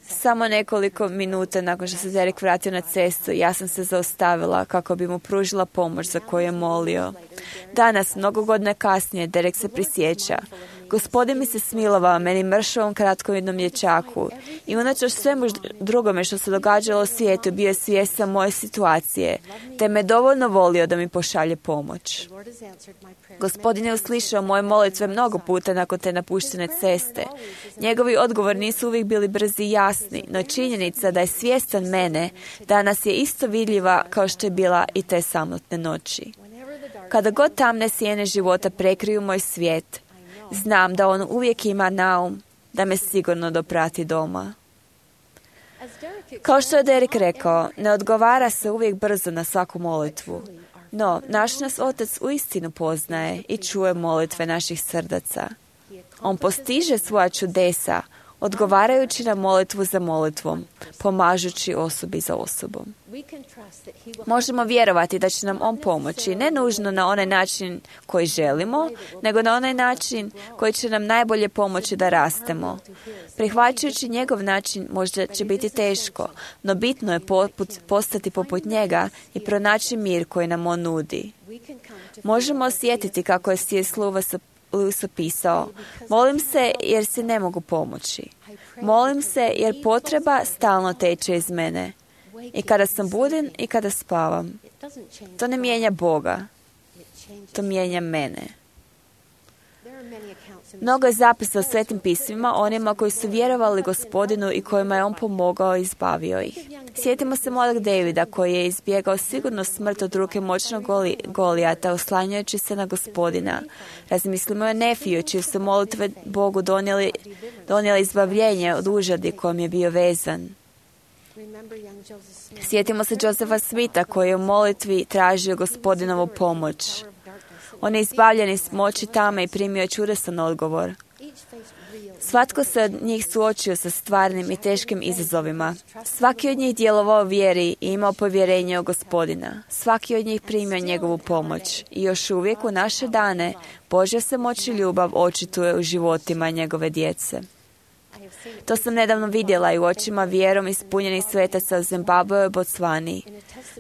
Samo nekoliko minuta nakon što se Derek vratio na cestu, ja sam se zaustavila kako bi mu pružila pomoć za koju je molio. Danas, mnogo godina kasnije, Derek se prisjeća: Gospodin mi se smilovao meni mršavom kratkovidnom dječaku i unatoč svemu drugome što se događalo u svijetu bio je svjestan moje situacije, te me dovoljno volio da mi pošalje pomoć. Gospodin je uslišao moje molitve mnogo puta nakon te napuštene ceste. Njegovi odgovori nisu uvijek bili brzi i jasni, no činjenica da je svjestan mene danas je isto vidljiva kao što je bila i te samotne noći. Kada god tamne sjene života prekriju moj svijet, znam da on uvijek ima na um da me sigurno doprati doma. Kao što je Derek rekao, ne odgovara se uvijek brzo na svaku molitvu. No, naš nas Otac uistinu poznaje i čuje molitve naših srdaca. On postiže svoja čudesa, odgovarajući na molitvu za molitvom, pomažući osobi za osobom. Možemo vjerovati da će nam on pomoći, ne nužno na onaj način koji želimo, nego na onaj način koji će nam najbolje pomoći da rastemo. Prihvaćajući njegov način možda će biti teško, no bitno je postati poput njega i pronaći mir koji nam on nudi. Možemo osjetiti kako je C.S. Lewis opisao: molim se jer si ne mogu pomoći. Molim se jer potreba stalno teče iz mene. I kada sam buden i kada spavam. To ne mijenja Boga. To mijenja mene. Mnogo je zapisa u Svetim pismima onima koji su vjerovali Gospodinu i kojima je on pomogao i izbavio ih. Sjetimo se mladog Davida koji je izbjegao sigurno smrt od ruke moćnog Golijata oslanjajući se na Gospodina. Razmislimo o Nefiju čije su molitve Bogu donijeli izbavljenje od užadi kojom je bio vezan. Sjetimo se Josefa Smitha koji je u molitvi tražio Gospodinovu pomoć. On je izbavljen iz moći tame i primio čudesan odgovor. Svatko se od njih suočio sa stvarnim i teškim izazovima. Svaki od njih djelovao vjeri i imao povjerenje u Gospodina. Svaki od njih primio njegovu pomoć. I još uvijek u naše dane Božja se moć i ljubav očituje u životima njegove djece. To sam nedavno vidjela i u očima vjerom ispunjenih svetaca u Zimbabwe i Botswani.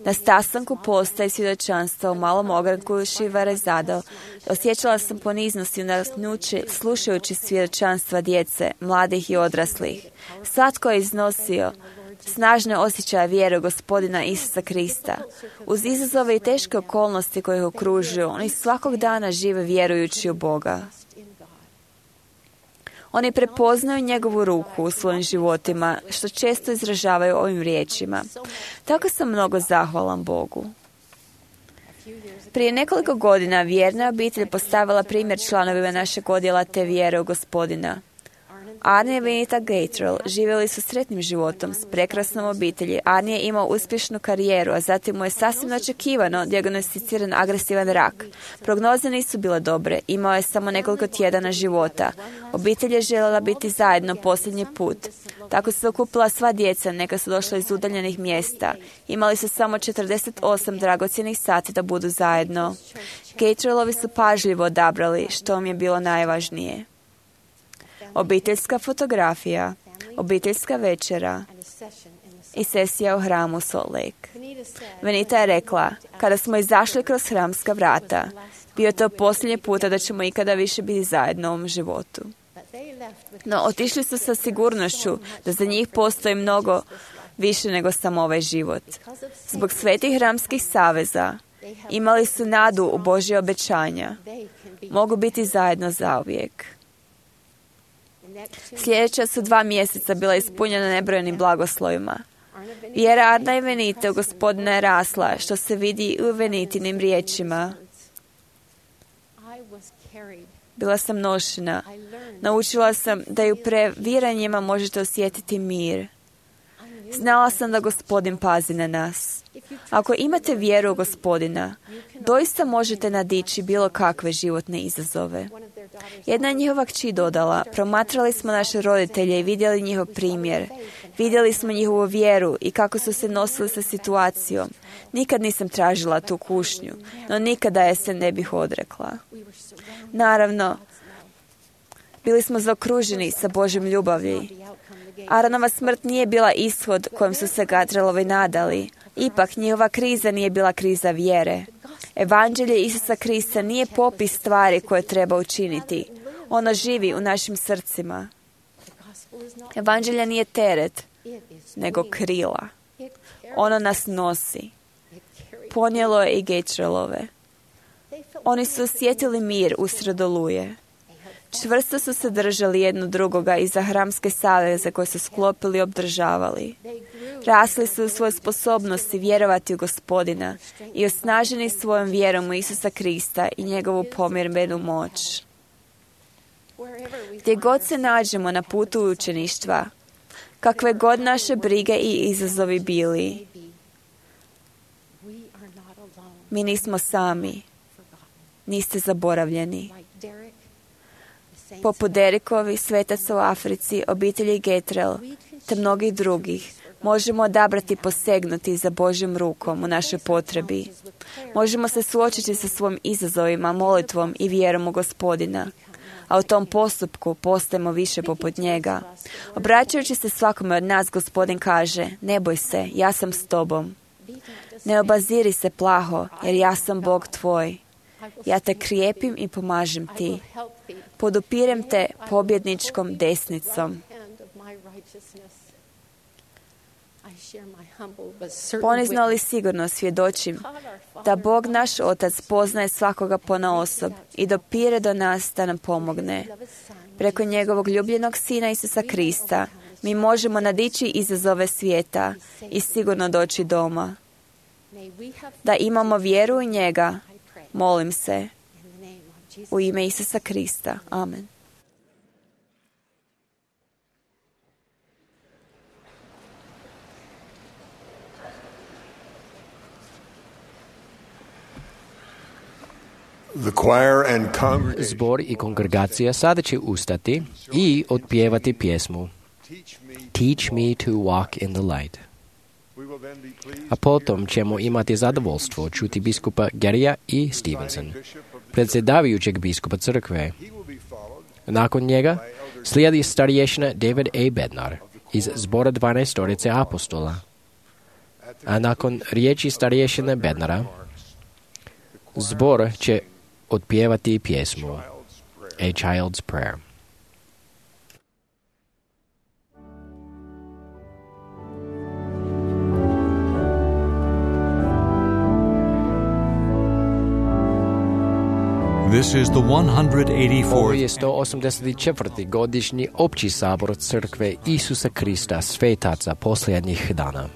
Na sastanku posta i svjedočanstva u malom ogranku Šivarezado osjećala sam poniznost i nadahnuće slušajući svjedočanstva djece, mladih i odraslih. Svatko je iznosio snažne osjećaje vjere u Gospodina Isusa Krista. Uz izazove i teške okolnosti koje ih okružuju, oni svakog dana žive vjerujući u Boga. Oni prepoznaju njegovu ruku u svojim životima, što često izražavaju ovim riječima. Tako sam mnogo zahvalan Bogu. Prije nekoliko godina vjerna obitelj postavila primjer članovima našeg odjela te vjere u Gospodina. Arne i Venita Gatrell živjeli su sretnim životom s prekrasnom obitelji. Arne je imao uspješnu karijeru, a zatim mu je sasvim očekivano dijagnosticiran agresivan rak. Prognoze nisu bile dobre, imao je samo nekoliko tjedana života. Obitelj je željela biti zajedno posljednji put. Tako su se okupila sva djeca, neka su došla iz udaljenih mjesta. Imali su samo 48 dragocjenih sati da budu zajedno. Gatrellovi su pažljivo odabrali što im je bilo najvažnije. Obiteljska fotografija, obiteljska večera i sesija u hramu Salt Lake. Venita je rekla, kada smo izašli kroz hramska vrata, bio je to posljednji puta da ćemo ikada više biti zajedno u ovom životu. No, otišli su sa sigurnošću da za njih postoji mnogo više nego samo ovaj život. Zbog svetih hramskih saveza imali su nadu u Božje obećanja. Mogu biti zajedno zauvijek. Sljedeća su 2 mjeseca bila ispunjena nebrojenim blagoslovima. Vjera Arna i Venite u Gospodina je rasla, što se vidi u Venitinim riječima. Bila sam nošena. Naučila sam da i u previranjima možete osjetiti mir. Znala sam da Gospodin pazi na nas. Ako imate vjeru u Gospodina, doista možete nadići bilo kakve životne izazove. Jedna je njihova kći dodala, promatrali smo naše roditelje i vidjeli njihov primjer. Vidjeli smo njihovu vjeru i kako su se nosili sa situacijom. Nikad nisam tražila tu kušnju, no nikada je se ne bih odrekla. Naravno, bili smo zaokruženi sa Božjom ljubavlji. Aronova smrt nije bila ishod kojem su se Gatrellovi nadali. Ipak, njihova kriza nije bila kriza vjere. Evanđelje Isusa Krista nije popis stvari koje treba učiniti. Ono živi u našim srcima. Evanđelje nije teret, nego krila. Ono nas nosi. Ponijelo je i Gatrellove. Oni su osjetili mir usred oluje. Čvrsto su se držali jedno drugoga iza hramske saveze koje su sklopili i obdržavali. Rasli su u svojoj sposobnosti vjerovati u Gospodina i osnaženi svojom vjerom u Isusa Krista i njegovu pomirbenu moć. Gdje god se nađemo na putu učeništva, kakve god naše brige i izazovi bili, mi nismo sami, niste zaboravljeni. Poput Derikovi, svetaca u Africi, obitelji Gatrell, te mnogih drugih, možemo odabrati posegnuti za Božjom rukom u našoj potrebi. Možemo se suočiti sa svojim izazovima, molitvom i vjerom u Gospodina, a u tom postupku postajemo više poput njega. Obraćajući se svakome od nas, Gospodin kaže, ne boj se, ja sam s tobom. Ne obaziri se plaho, jer ja sam Bog tvoj. Ja te krijepim i pomažem ti. Podupirem te pobjedničkom desnicom. Ponizno ali sigurno svjedočim da Bog naš Otac poznaje svakoga ponaosob i dopire do nas da nam pomogne. Preko njegovog ljubljenog Sina Isusa Krista mi možemo nadići izazove svijeta i sigurno doći doma. Da imamo vjeru u njega, molim se, u ime Isusa Krista. Amen. Zbor i kongregacija sada će ustati i otpjevati pjesmu Teach me to walk in the light. A potom ćemo imati zadovoljstvo čuti biskupa Garija i Stevenson, predsjedavajućeg biskupa crkve. Nakon njega Slijedi starješina David A. Bednar iz zbora 12 apostola. A nakon riječi starješine Bednara, zbor će otpjevati pjesmu A Child's Prayer. This is the 184th. Ovo je 184. godišnji opći sabor crkve Isusa Krista svetaca posljednjih dana.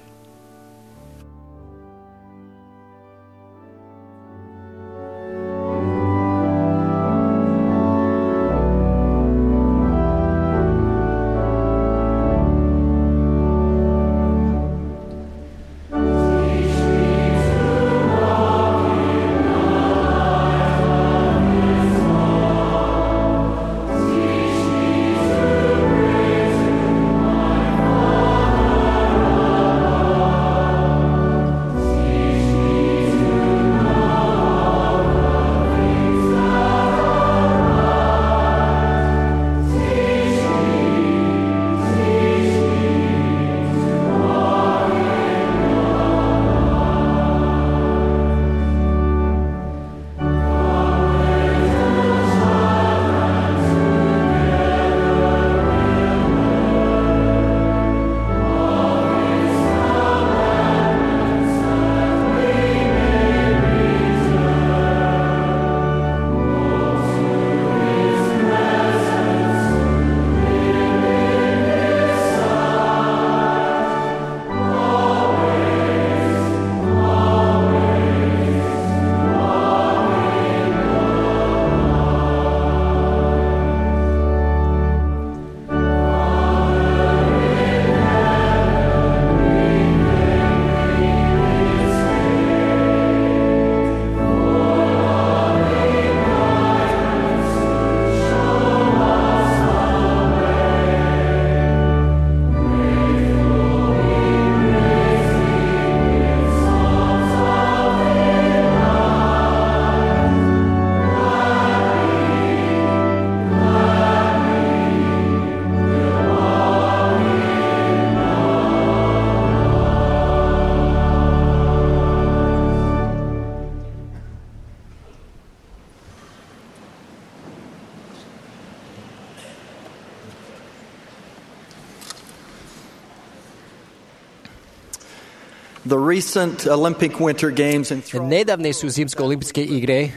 The recent Olympic Winter Games in Nedavne su zimske olimpijske igre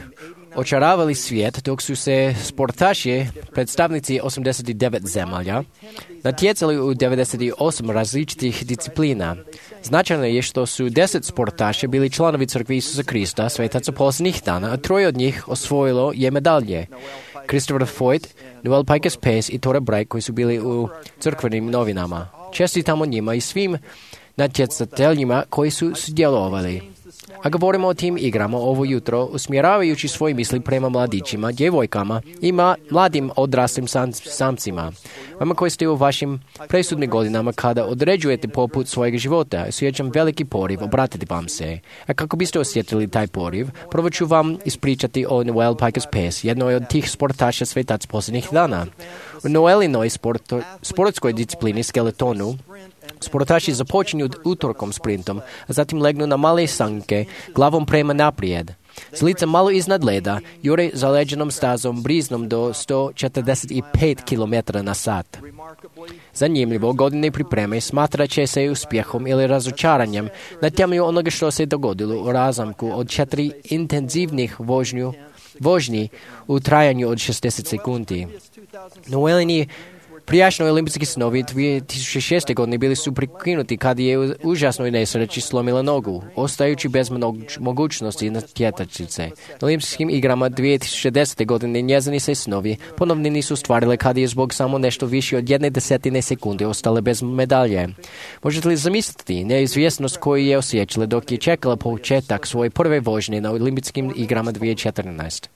očaravali svijet dok su se sportaši, predstavnici 89 zemalja, natjecali u 98 različitih disciplina. Značajno je što su 10 sportaša bili članovi crkve Isusa Krista, svetaca posljednjih dana, a 3 od njih osvojilo je medalje. Christopher Foyt, Noel Pikus Pace i Tora Bright koji su bili u crkvenim novinama. Čestitamo njima i svim natjecateljima koji su sudjelovali. A govorimo o tim igrama ovo jutro, usmjeravajući svoje misli prema mladićima, djevojkama i mladim odraslim samcima. Vama koji ste u vašim presudnim godinama kada određujete poput svojeg života, osjećam veliki poriv obratiti vam se. A kako biste osjetili taj poriv, prvo ću vam ispričati o Noel Pikus Pace, jednoj od tih sportaša svetac posljednjih dana. U Noelinoj sportskoj disciplini skeletonu sportaši započinju utorkom sprintom, a zatim legnu na male sanke, glavom prema naprijed. S licem malo iznad leda, jure zaleđenom stazom briznom do 145 km na sat. Zanimljivo, godine pripreme smatrat će se uspjehom ili razočaranjem na temelju onoga što se dogodilo u razamku od 4 intenzivnih vožnji u trajanju od 60 sekundi. Noelini prijašnji olimpijski snovi 2006. godine bili su prekinuti kad je u užasnoj nesreći slomila nogu, ostajući bez mogućnosti natjecateljice. Na olimpijskim igrama 2010. godine njezini se snovi ponovno nisu ostvarile kad je zbog samo nešto više od 1/10 sekunde ostale bez medalje. Možete li zamisliti neizvjesnost koju je osjećala dok je čekala početak svoje prve vožnje na olimpijskim igrama 2014.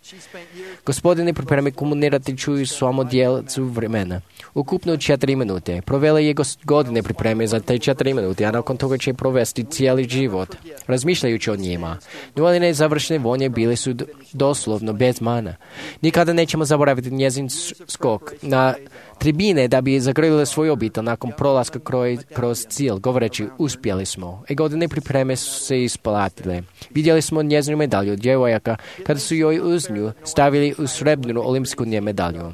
Gospodine, pripremi komunicirati ću s vama djelcu vremena, u ukupno 4 minute. Provele je godine pripreme za te 4 minute, a nakon toga će provesti cijeli život, razmišljajući o njima. Noeline završne vonje bile su doslovno bez mana. Nikada nećemo zaboraviti njezin skok na tribine da bi zagrlile svoj obitelj nakon prolaska kroz cilj, govoreći uspjeli smo. Godine pripreme su se isplatile. Vidjeli smo njezinu medalju djevojaka kada su joj uz nju stavili u srebrnu olimpijsku medalju.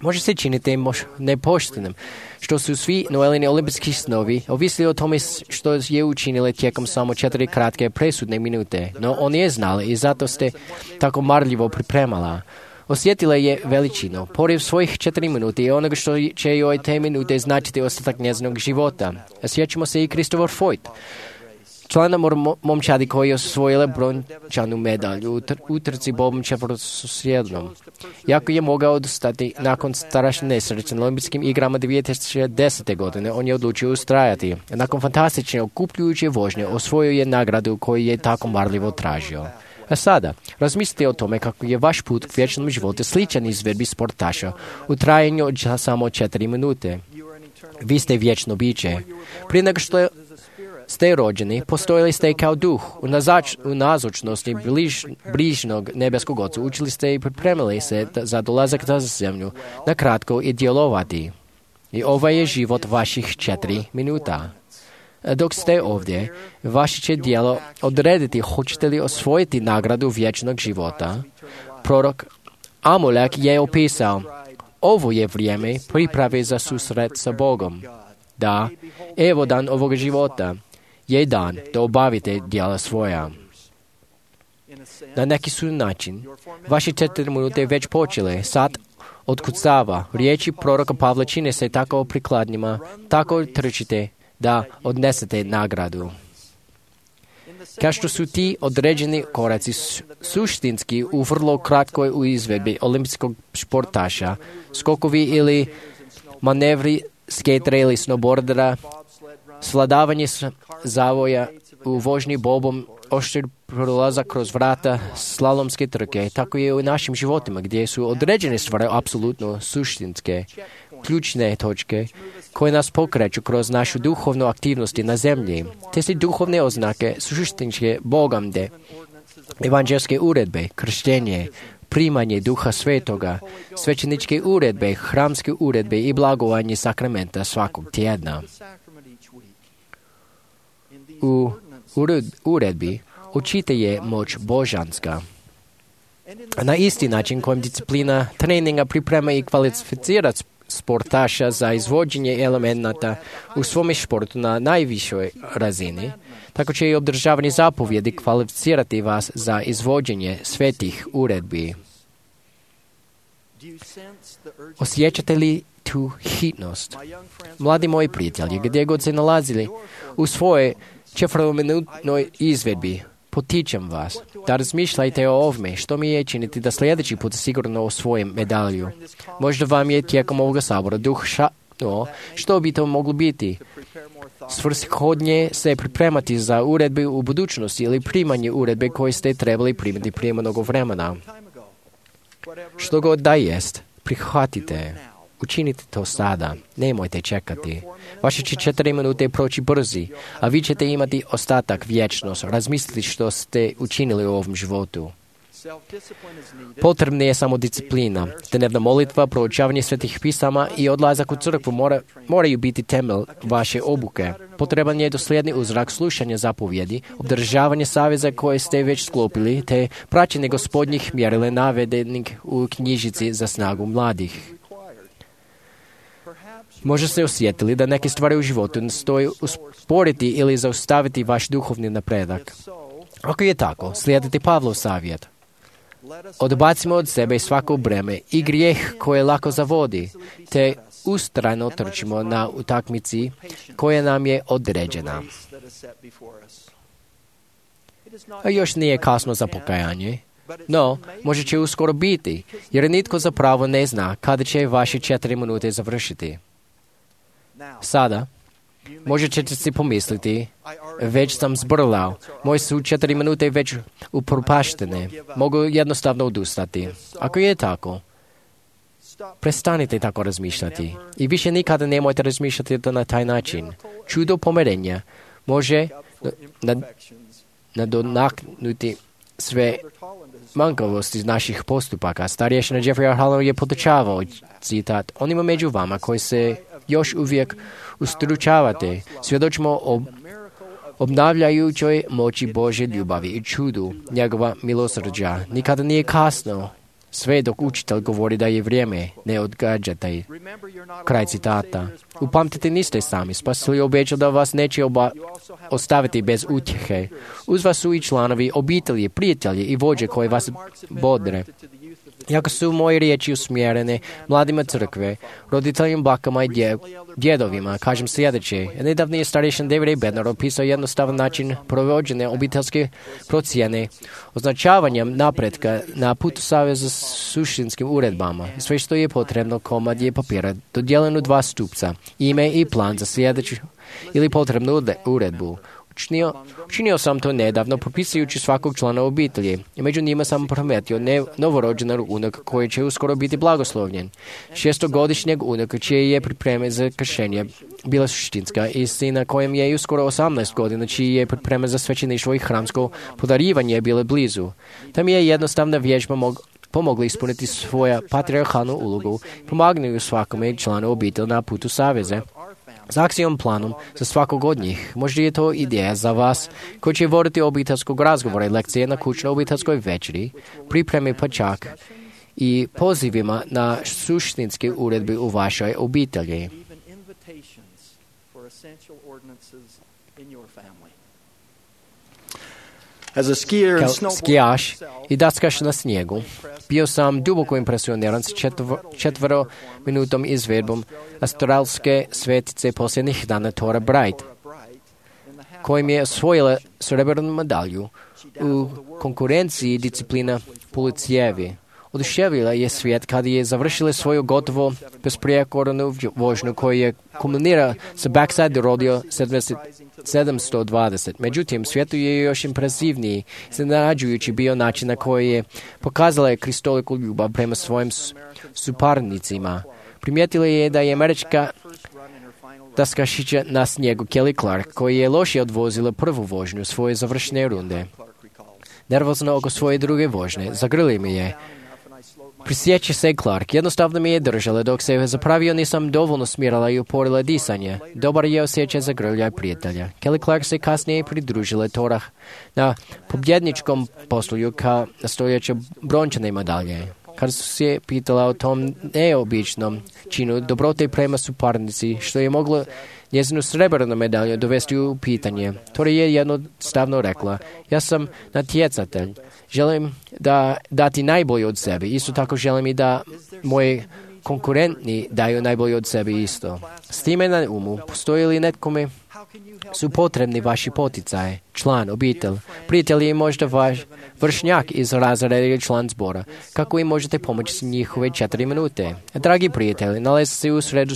Može se činiti nepoštenim što su svi Noelini olimpijski snovi ovisili o tome što je učinile tijekom samo 4 kratke presudne minute, no on je znala i zato ste tako marljivo pripremala. Osjetila je veličinu, poriv svojih 4 minute i onoga što će joj te minute značiti ostatak njezinog života. Sjećamo se i Christopher Foyt, člana momčadi koji je osvojila brončanu medalju u trci bobom četvrtosjednom. Jako je mogao odustati nakon strašne nesreće na olimpijskim igrama 2010. godine, on je odlučio ustrajati. Nakon fantastične okupljujuće vožnje osvojio je nagradu koju je tako marljivo tražio. A sada, razmislite o tome kako je vaš put k vječnom životu sličan izvedbi sportaša u trajanju od samo 4 minute. Vi ste vječno biće. Prije nego što ste rođeni, postojali ste kao duh u nazočnosti bližnog nebeskog Oca. Učili ste i pripremili se za dolazak na zemlju, na kratko i djelovati. I ovaj je život vaših 4 minuta. Dok ste ovdje, vaše će djelo odrediti hoćete li osvojiti nagradu vječnog života. Prorok Amulek je opisao, ovo je vrijeme priprave za susret sa Bogom. Da, evo dan ovog života je dan da obavite djela svoja. Na neki su način, vaše 4 minute već počele, sad otkucava. Riječi proroka Pavla čine se tako prikladnima, tako trčite da odnesete nagradu. Kao što su ti određeni koraci suštinski u vrlo kratkoj u izvedbi olimpijskog športaša, skokovi ili manevri skatera ili snowboardera, svladavanje zavoja u vožnji bobom, oštir prolazak kroz vrata, slalomske trke, tako je u našim životima gdje su određene stvari apsolutno suštinske, ključne točke koje nas pokreću kroz našu duhovnu aktivnost na zemlji. Te se duhovne oznake suštinske Bogamde, evanđelske uredbe, krštenje, primanje Duha Svetoga, svećeničke uredbe, hramske uredbe i blagovanje sakramenta svakog tjedna. U uredbi očite je moć božanska. Na isti način kojim disciplina treninga priprema i kvalificira sportaša za izvođenje elemenata u svome športu na najvišoj razini, tako će i obdržavanje zapovjedi kvalificirati vas za izvođenje svetih uredbi. Osjećate li tu hitnost? Mladi moji prijatelji, gdje god se nalazili u svojoj 4-minutnoj izvedbi, potičem vas da razmišljajte o ovome što mi je činiti da sljedeći put sigurno osvojim medalju. Možda vam je tijekom ovoga sabora duh što bi to moglo biti. Svrsishodnije se pripremati za uredbe u budućnosti ili primanje uredbe koje ste trebali primiti prije mnogo vremena. Što god da jest, prihvatite. Učinite to sada, nemojte čekati. Vaše će 4 minute proći brzi, a vi ćete imati ostatak vječnost. Razmislite što ste učinili u ovom životu. Potrebna je samo disciplina. Dnevna molitva, proučavanje svetih pisama i odlazak u crkvu moraju biti temelj vaše obuke. Potreban je dosljedni uzrak slušanja zapovjedi, obdržavanje saveza koje ste već sklopili, te praćenje gospodnjih mjerila navedenih u knjižici za snagu mladih. Možda ste osjetili da neke stvari u životu nastoje usporiti ili zaustaviti vaš duhovni napredak. Ako je tako, slijedite Pavlov savjet. Odbacimo od sebe svako breme i grijeh koje lako zavodi, te ustrajno trčimo na utakmici koja nam je određena. A još nije kasno za pokajanje, no možda će uskoro biti, jer nitko zapravo ne zna kada će vaše 4 minute završiti. Sada, možda ćete si pomisliti, već sam zbrlao, moje su 4 minute već upropaštene, mogu jednostavno odustati. Ako je tako, Prestanite tako razmišljati. I više nikada nemojte razmišljati na taj način. Čudo pomirenja može nadoknaditi sve manjkavosti naših postupaka. Starješina Jeffrey R. Holland je podučavao, citat, onima među vama koji se još uvijek ustručavate, svjedočimo o obnavljajućoj moći Božje ljubavi i čudu njegova milosrđa. Nikada nije kasno, sve dok učitelj govori da je vrijeme, ne odgađate. Kraj citata. Upamtite, niste sami. Spasitelj obećao da vas neće ostaviti bez utjehe. Uz vas su i članovi obitelji, prijatelji i vođe koji vas bodre. Jako su moje riječi usmjerene mladima crkve, roditeljima, bakama i djedovima, kažem sljedeće. Nedavni je starješin David A. Bednar opisao jednostavan način provođenja obiteljske procjene, označavanjem napretka na putu saveza s suštinskim uredbama. Sve što je potrebno, komad je papira, dodijeljen u 2 stupca, ime i plan za sljedeću ili potrebnu uredbu. Učinio sam to nedavno, propisujući svakog člana obitelji. I među njima sam prometio novorođenog unuka koji će uskoro biti blagoslovljen. 6-godišnjeg unuka čije je pripreme za kršenje bila suštinska i sina kojem je uskoro 18 godina čiji je pripreme za svećeništvo i hramsko podarivanje bile blizu. Tam je jednostavna vježba pomogla ispuniti svoja patriarhalnu ulogu i pomagnuju svakome članu obitelji na putu saveze. S akcijom planom za svakog od njih. Možda je to ideja za vas koji će voditi obiteljskog razgovora i lekcije na kućnoj obiteljskoj večeri, pripremi pa čak i pozivima na suštinske uredbe u vašoj obitelji. Kao skijaš i daskaš na snijegu, bio sam duboko impresioniran s 4-minutom izvedbom australske svetice posljednjih dana Tora Bright, kojim je osvojila srebrnu medalju u konkurenciji disciplina Policijevi. Oduševila je svijet kada je završila svoju gotovo besprijekornu vožnju koju je kulminirala sa backside rodeo 720. Međutim, svijetu je još impresivniji, iznenađujući bio način na koji je pokazala kristoliku ljubav prema svojim suparnicima. Primijetila je da je američka daskašića na snijegu Kelly Clark, koji je lošije odvozila prvu vožnju svoje završne runde. Nervozno oko svoje druge vožnje, zagrli mi je. Prisjeća se Clark, jednostavno mi je držala dok se zapravio nisam dovoljno smirala i uporila disanje. Dobar je osjećaj zagrljaj prijatelja. Kelly Clark se kasnije pridružila Torah na pobjedničkom posluju kao nastojeća brončane medalje. Kad su se pitala o tom neobičnom činu dobrote prema suparnici, što je moglo njezinu srebrnu medalju dovesti u pitanje, Tora je jednostavno rekla, ja sam natjecatelj, želim dati najbolje od sebe, isto tako želim i da moji konkurentni daju najbolje od sebe isto. S time na umu, postoji li netkome su potrebni vaši poticaje, član, obitelj, prijatelji i možda vaš vršnjak iz razreda ili član zbora, kako im možete pomoći s njihove 4 minute. Dragi prijatelji, nalazi se u sredu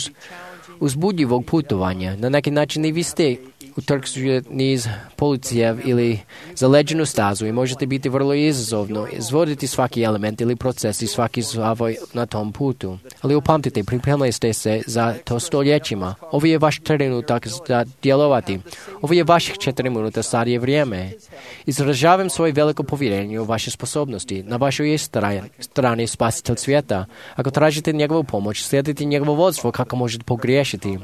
uzbudljivog putovanja. Na neki način i vi ste utrkćeni niz policija ili zaleđenu stazu i možete biti vrlo izazovno, izvoditi svaki element ili proces i svaki zavoj na tom putu. Ali upamtite, pripremili ste se za to stoljećima. Ovo je vaš trenutak za djelovati. Ovo je vaših 4 minuta, sad je vrijeme. Izražavam svoje veliko povjerenje u vaše sposobnosti. Na vašoj je strani spasitelj svijeta. Ako tražite njegovu pomoć, slijedite njegovo vodstvo kako možete pogriješiti.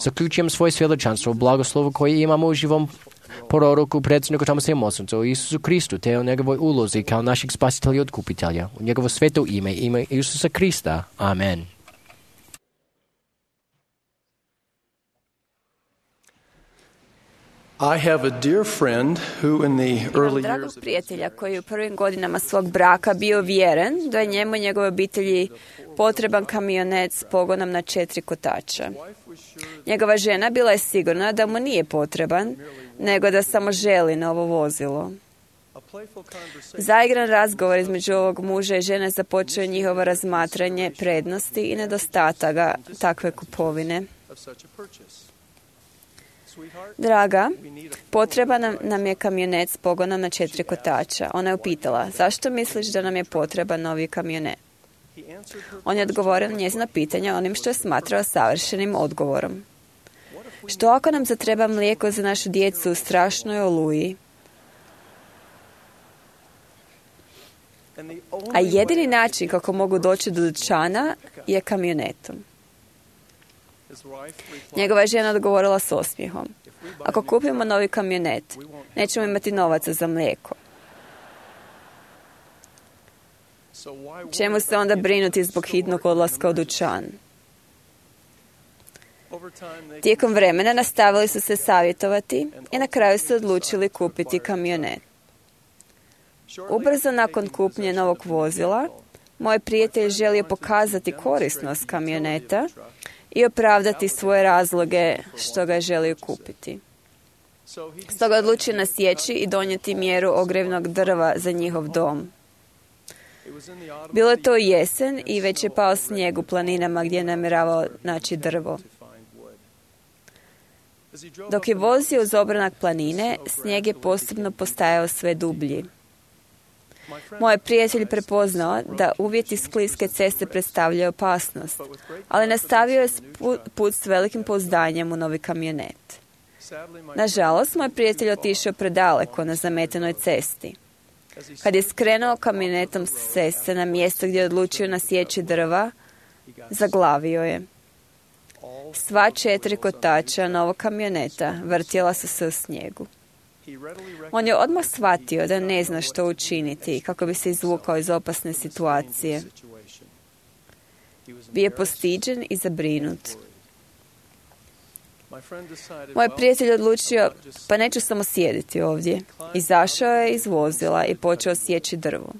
Zaključujem svoje svjedočanstvo u blagoslovu koji imamo u živom proroku predsjedniku Tomasa Mosoncu o Isusu Kristu te o njegovoj ulozi kao našeg spasitelja i otkupitelja. U njegovo sveto ime, ime Isusa Krista. Amen. I have a dear friend who in the early Dragog years prijatelja koji je u prvim godinama svog braka bio vjeren da je njemu i njegovoj obitelji potreban kamionet s pogonom na 4 kotača. Njegova žena bila je sigurna da mu nije potreban, nego da samo želi novo vozilo. Zaigran razgovor između ovog muža i žene započeo njihovo razmatranje prednosti i nedostataka takve kupovine. Draga, potreban nam je kamionet s pogonom na 4 kotača. Ona je upitala, zašto misliš da nam je potreban novi kamionet? On je odgovorio na njezino pitanje onim što je smatrao savršenim odgovorom. Što ako nam zatreba mlijeko za našu djecu u strašnoj oluji? A jedini način kako mogu doći do dućana je kamionetom. Njegova žena odgovorila s osmijehom. Ako kupimo novi kamionet, nećemo imati novaca za mlijeko. Čemu se onda brinuti zbog hitnog odlaska u dućan? Tijekom vremena nastavili su se savjetovati i na kraju se odlučili kupiti kamionet. Ubrzo nakon kupnje novog vozila, moj prijatelj želio pokazati korisnost kamioneta i opravdati svoje razloge što ga je želio kupiti. Stoga odlučio nasjeći i donijeti mjeru ogrjevnog drva za njihov dom. Bilo je to jesen i već je pao snijeg u planinama gdje je namjeravao naći drvo. Dok je vozio uz obranak planine, snijeg je postupno postajao sve dublji. Moj prijatelj prepoznao da uvjeti skliske ceste predstavljaju opasnost, ali nastavio je put s velikim pouzdanjem u novi kamionet. Nažalost, moj prijatelj otišao predaleko na zametenoj cesti. Kad je skrenuo kamionetom s ceste na mjesto gdje je odlučio nasjeći drva, zaglavio je. Sva 4 kotača novog kamioneta vrtjela su se u snijegu. On je odmah shvatio da ne zna što učiniti kako bi se izvukao iz opasne situacije. Bio je postiđen i zabrinut. Moj prijatelj odlučio, pa neću samo sjediti ovdje. Izašao je iz vozila i počeo sjeći drvo.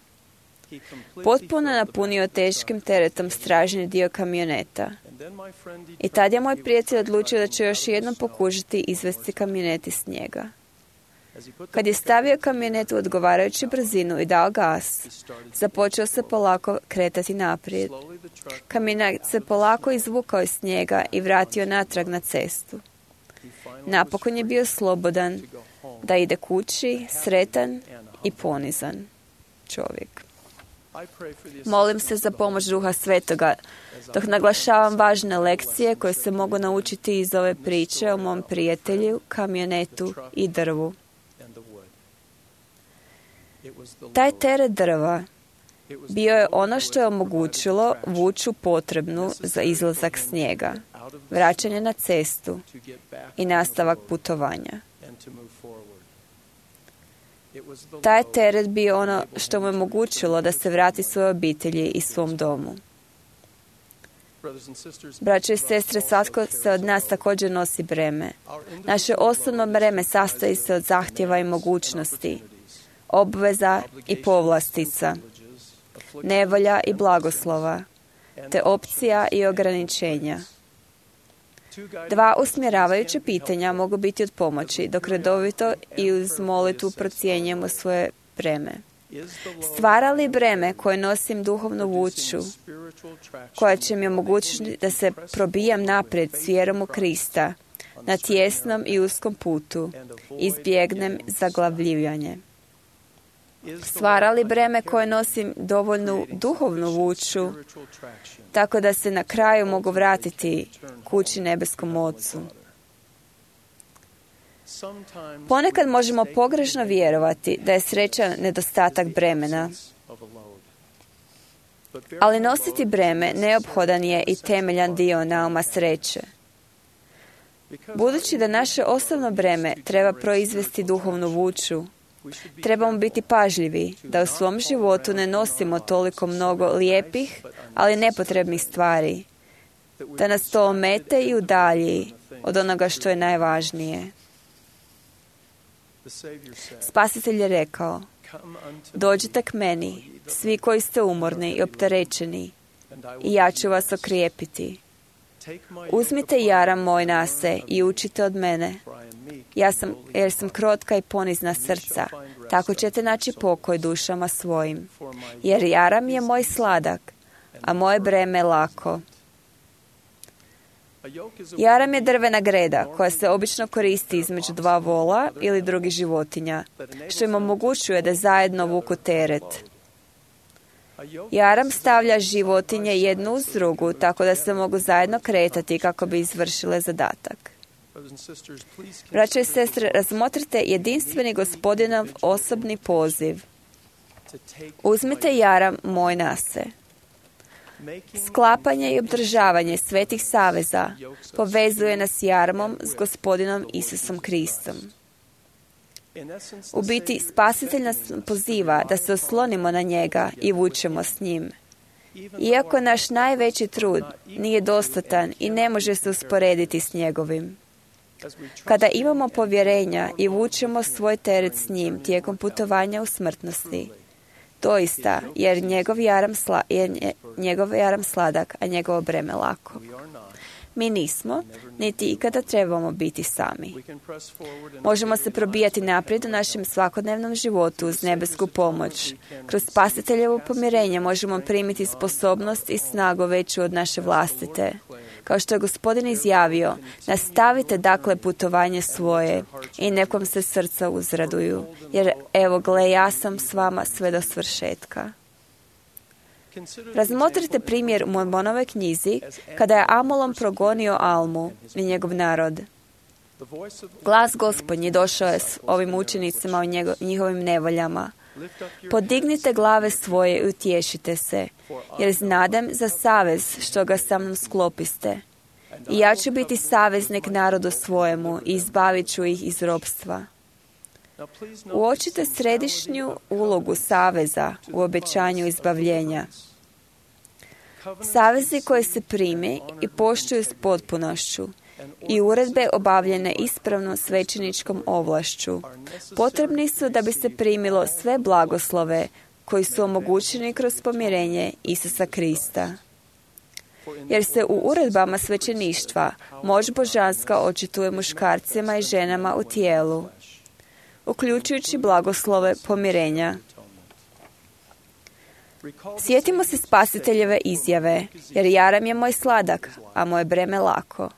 Potpuno napunio teškim teretom stražnji dio kamioneta. I tad je moj prijatelj odlučio da će još jednom pokušati izvesti kamionet iz snijega. Kad je stavio kamionet u odgovarajuću brzinu i dao gas, započeo se polako kretati naprijed. Kamionet se polako izvukao iz snijega i vratio natrag na cestu. Napokon je bio slobodan da ide kući, sretan i ponizan čovjek. Molim se za pomoć Duha Svetoga, dok naglašavam važne lekcije koje se mogu naučiti iz ove priče o mom prijatelju, kamionetu i drvu. Taj teret drva bio je ono što je omogućilo vuču potrebnu za izlazak snijega, vraćanje na cestu i nastavak putovanja. Taj teret bio ono što mu je omogućilo da se vrati svojoj obitelji i svom domu. Braćo i sestre, svatko se od nas također nosi breme. Naše osobno breme sastoji se od zahtjeva i mogućnosti, obveza i povlastica, nevolja i blagoslova, te opcija i ograničenja. 2 usmjeravajuća pitanja mogu biti od pomoći, dok redovito i uz molitvu procjenjujemo svoje breme. Stvara li breme koje nosim duhovnu vuču, koja će mi omogućiti da se probijam naprijed s vjerom u Krista, na tjesnom i uskom putu, izbjegnem zaglavljivanje? Stvara li breme koje nosim dovoljnu duhovnu vuču, tako da se na kraju mogu vratiti kući nebeskom Ocu? Ponekad možemo pogrešno vjerovati da je sreća nedostatak bremena. Ali nositi breme neophodan je i temeljan dio nauma sreće. Budući da naše osobno breme treba proizvesti duhovnu vuču, trebamo biti pažljivi da u svom životu ne nosimo toliko mnogo lijepih, ali nepotrebnih stvari, da nas to omete i udalji od onoga što je najvažnije. Spasitelj je rekao: dođite k meni, svi koji ste umorni i opterećeni, i ja ću vas okrijepiti. Uzmite jaram moj na se i učite od mene, jer sam krotka i ponizna srca, tako ćete naći pokoj dušama svojim. Jer jaram je moj sladak, a moje breme lako. Jaram je drvena greda koja se obično koristi između 2 vola ili drugih životinja, što im omogućuje da zajedno vuku teret. Jaram stavlja životinje jednu uz drugu, tako da se mogu zajedno kretati kako bi izvršile zadatak. Braćo i sestre, razmotrite jedinstveni Gospodinov osobni poziv. Uzmite jaram moj na se. Sklapanje i obdržavanje svetih saveza povezuje nas jaramom s Gospodinom Isusom Kristom. U biti, Spasitelj nas poziva da se oslonimo na njega i vučemo s njim. Iako naš najveći trud nije dostatan i ne može se usporediti s njegovim. Kada imamo povjerenja i vučemo svoj teret s njim tijekom putovanja u smrtnosti, doista, jer njegov jaram sladak, a njegovo breme lako. Mi nismo, niti ikada trebamo biti sami. Možemo se probijati naprijed u našem svakodnevnom životu uz nebesku pomoć. Kroz Spasiteljevo pomirenje možemo primiti sposobnost i snagu veću od naše vlastite. Kao što je Gospodin izjavio, nastavite dakle putovanje svoje i nekom se srca uzraduju, jer evo gle, ja sam s vama sve do svršetka. Razmotrite primjer u Mormonove knjizi kada je Amulom progonio Almu i njegov narod. Glas Gospodnji došao je s ovim učenicima u njihovim nevoljama. Podignite glave svoje i utješite se, jer znadem za savez što ga sa mnom sklopiste. I ja ću biti saveznik narodu svojemu i izbavit ću ih iz ropstva. Uočite središnju ulogu saveza u obećanju izbavljenja. Savezi koji se primi i poštuju s potpunošću i uredbe obavljene ispravnom svećeničkom ovlašću potrebni su da bi se primilo sve blagoslove koji su omogućeni kroz pomirenje Isusa Krista. Jer se u uredbama svećeništva moć božanska očituje muškarcima i ženama u tijelu, uključujući blagoslove pomirenja. Sjetimo se Spasiteljeve izjave, jer jaram je moj sladak, a moje breme lako,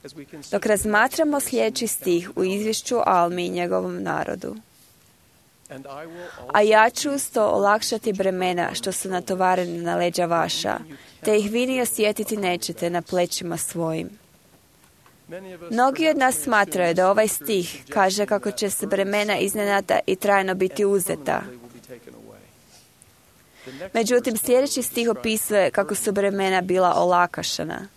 dok razmatramo sljedeći stih u izvješću Almi i njegovom narodu. A ja ću uz to olakšati bremena što su natovareni na leđa vaša, te ih vi ni osjetiti nećete na plećima svojim. Mnogi od nas smatraju da ovaj stih kaže kako će se bremena iznenada i trajno biti uzeta. Međutim, sljedeći stih opisuje kako su bremena bila olakašana.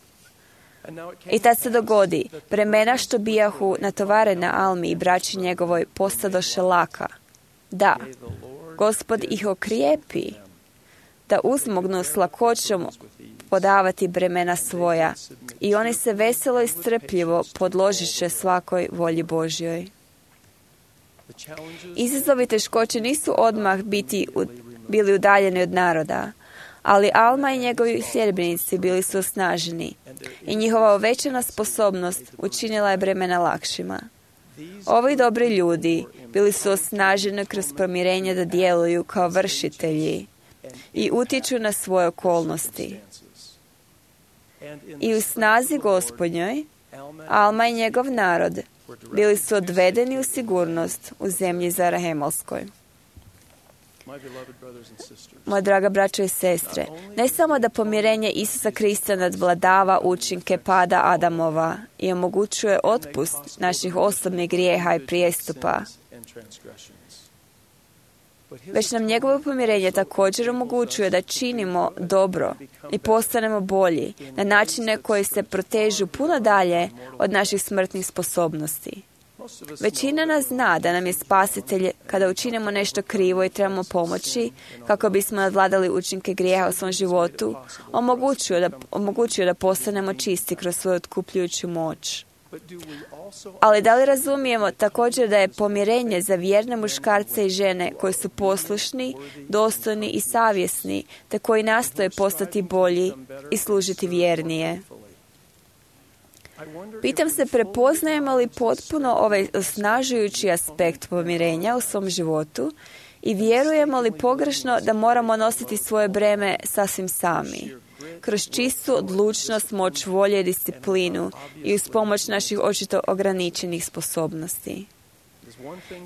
I tad se dogodi, bremena što bijahu natovarena Almi i braći njegovoj postadoše laka. Da, Gospod ih okrijepi, da uzmognu s lakoćom podavati bremena svoja i oni se veselo i strpljivo podložiše svakoj volji Božjoj. Izazovi teškoće nisu odmah bili udaljeni od naroda, ali Alma i njegovi sljedbenici bili su osnaženi i njihova uvećana sposobnost učinila je bremena lakšima. Ovi dobri ljudi bili su osnaženi kroz pomirenje da djeluju kao vršitelji i utječu na svoje okolnosti. I u snazi Gospodnjoj, Alma i njegov narod bili su odvedeni u sigurnost u zemlji Zarahemolskoj. Moja draga braćo i sestre, ne samo da pomirenje Isusa Krista nadvladava učinke pada Adamova i omogućuje otpust naših osobnih grijeha i prijestupa, već nam njegovo pomirenje također omogućuje da činimo dobro i postanemo bolji na načine koji se protežu puno dalje od naših smrtnih sposobnosti. Većina nas zna da nam je Spasitelj, kada učinimo nešto krivo i trebamo pomoći, kako bismo nadvladali učinke grijeha u svom životu, omogućuje da postanemo čisti kroz svoju otkupljujuću moć. Ali da li razumijemo također da je pomirenje za vjerne muškarce i žene koji su poslušni, dostojni i savjesni, te koji nastoje postati bolji i služiti vjernije? Pitam se, prepoznajemo li potpuno ovaj osnažujući aspekt pomirenja u svom životu i vjerujemo li pogrešno da moramo nositi svoje breme sasvim sami, kroz čistu odlučnost, moć volje i disciplinu i uz pomoć naših očito ograničenih sposobnosti.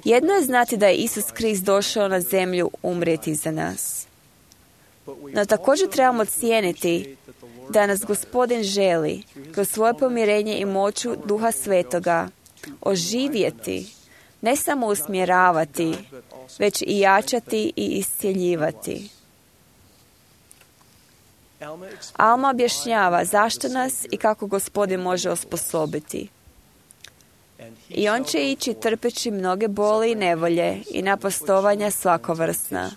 Jedno je znati da je Isus Krist došao na zemlju umrijeti za nas. No također trebamo cijeniti da nas Gospodin želi kroz svoje pomirenje i moću Duha Svetoga oživjeti, ne samo usmjeravati, već i jačati i iscjeljivati. Alma objašnjava zašto nas i kako Gospodin može osposobiti. I on će ići trpeći mnoge boli i nevolje i napastovanja svakovrsna.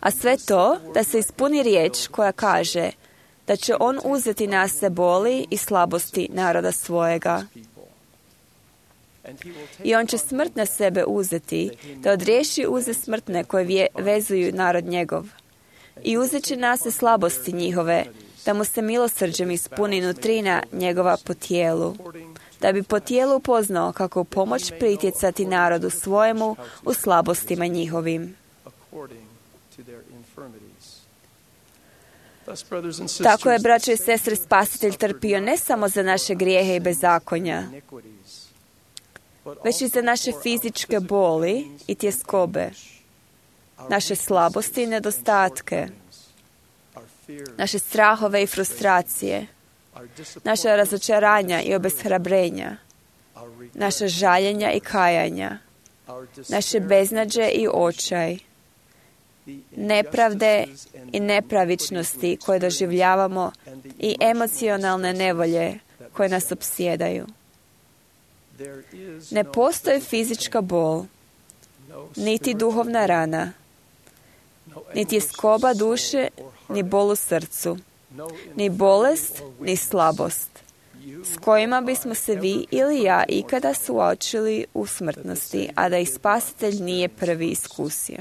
A sve to da se ispuni riječ koja kaže da će on uzeti na se boli i slabosti naroda svojega. I on će smrt na sebe uzeti, da odriješi uze smrtne koje vezuju narod njegov. I uzet će na se slabosti njihove, da mu se milosrđem ispuni nutrina njegova po tijelu, da bi po tijelu upoznao kako u pomoć pritjecati narodu svojemu u slabostima njihovim. Tako je, braćo i sestre, Spasitelj trpio ne samo za naše grijehe i bezakonja, već i za naše fizičke boli i tjeskobe, naše slabosti i nedostatke, naše strahove i frustracije, naša razočaranja i obeshrabrenja, naša žaljenja i kajanja, naše beznađe i očaj, nepravde i nepravičnosti koje doživljavamo i emocionalne nevolje koje nas opsjedaju. Ne postoji fizička bol, niti duhovna rana, ni tjeskoba duše, ni bol u srcu, ni bolest, ni slabost, s kojima bismo se vi ili ja ikada suočili u smrtnosti, a da ih Spasitelj nije prvi iskusio.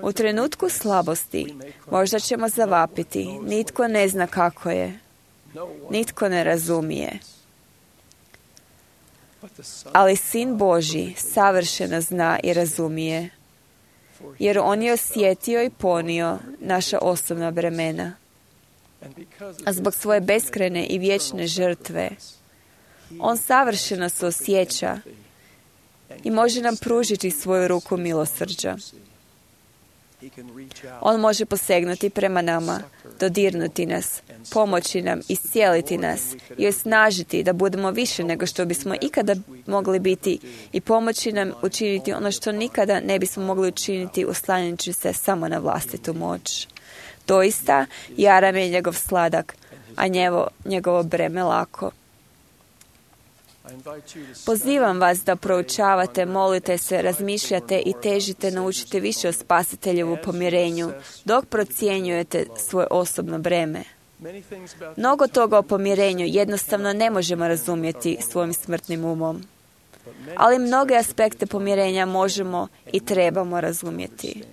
U trenutku slabosti možda ćemo zavapiti, nitko ne zna kako je, nitko ne razumije. Ali Sin Božji savršeno zna i razumije, jer on je osjetio i ponio naša osobna bremena. A zbog svoje beskrajne i vječne žrtve, on savršeno se osjeća i može nam pružiti svoju ruku milosrđa. On može posegnuti prema nama, dodirnuti nas, pomoći nam, iscijeliti nas i osnažiti da budemo više nego što bismo ikada mogli biti i pomoći nam učiniti ono što nikada ne bismo mogli učiniti oslanjajući se samo na vlastitu moć. Doista, jaram je njegov sladak, a njegovo breme lako. Pozivam vas da proučavate, molite se, razmišljate i težite naučiti više o Spasiteljevu pomirenju, dok procjenjujete svoje osobno breme. Mnogo toga o pomirenju jednostavno ne možemo razumjeti svojim smrtnim umom, ali mnoge aspekte pomirenja možemo i trebamo razumjeti.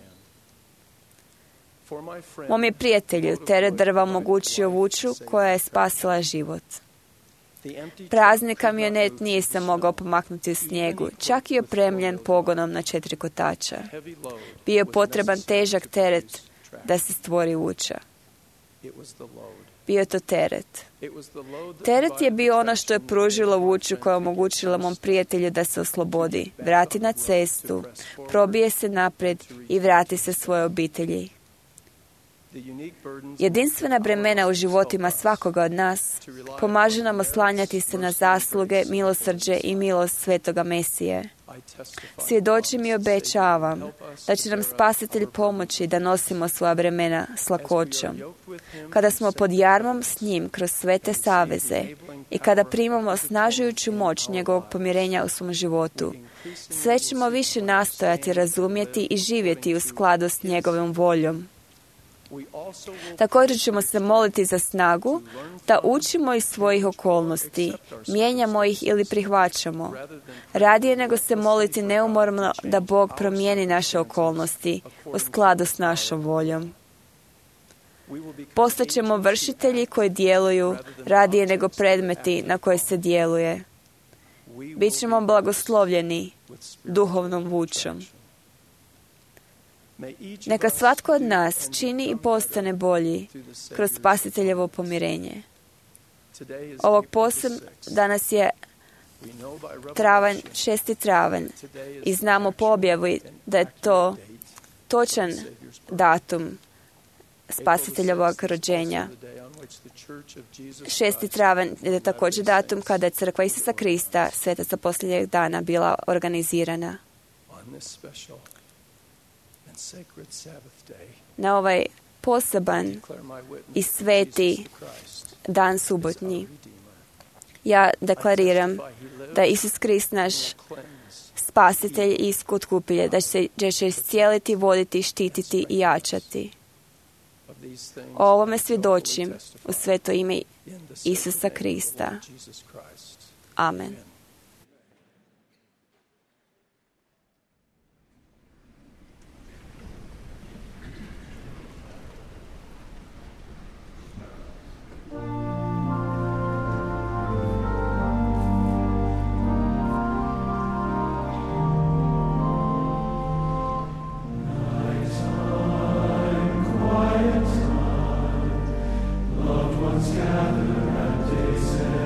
Mom je prijatelju teret drva omogućio vuču koja je spasila život. Prazni kamionet nije se mogao pomaknuti u snijegu, čak i opremljen pogonom na 4 kotača. Bio je potreban težak teret da se stvori vuča. Bio je to teret. Teret je bio ono što je pružilo vuču koja je omogućila mom prijatelju da se oslobodi, vrati na cestu, probije se naprijed i vrati se svojoj obitelji. Jedinstvena bremena u životima svakoga od nas pomaže nam oslanjati se na zasluge, milosrđe i milost Svetoga Mesije. Svjedočim i obećavam da će nam Spasitelj pomoći da nosimo svoja bremena s lakoćom. Kada smo pod jarmom s njim kroz svete saveze i kada primamo osnažujuću moć njegovog pomirenja u svom životu, sve ćemo više nastojati razumjeti i živjeti u skladu s njegovom voljom. Također ćemo se moliti za snagu da učimo iz svojih okolnosti, mijenjamo ih ili prihvaćamo, radije nego se moliti neumorno da Bog promijeni naše okolnosti u skladu s našom voljom. Postaćemo vršitelji koji djeluju radije nego predmeti na koje se djeluje. Bićemo blagoslovljeni duhovnom vučom. Neka svatko od nas čini i postane bolji kroz Spasiteljevo pomirenje. Ovog danas je 6. travanj i znamo po objavi da je to točan datum Spasiteljevog rođenja. 6. travanj je također datum kada je crkva Isusa Krista, svetaca posljednjeg dana, bila organizirana. Na ovaj poseban i sveti dan subotnji ja deklariram da je Isus Krist naš spasitelj i iskupitelj, da će iscijeliti, voditi, štititi i jačati. O ovome svjedočim u sveto ime Isusa Krista. Amen. Gather at day's end.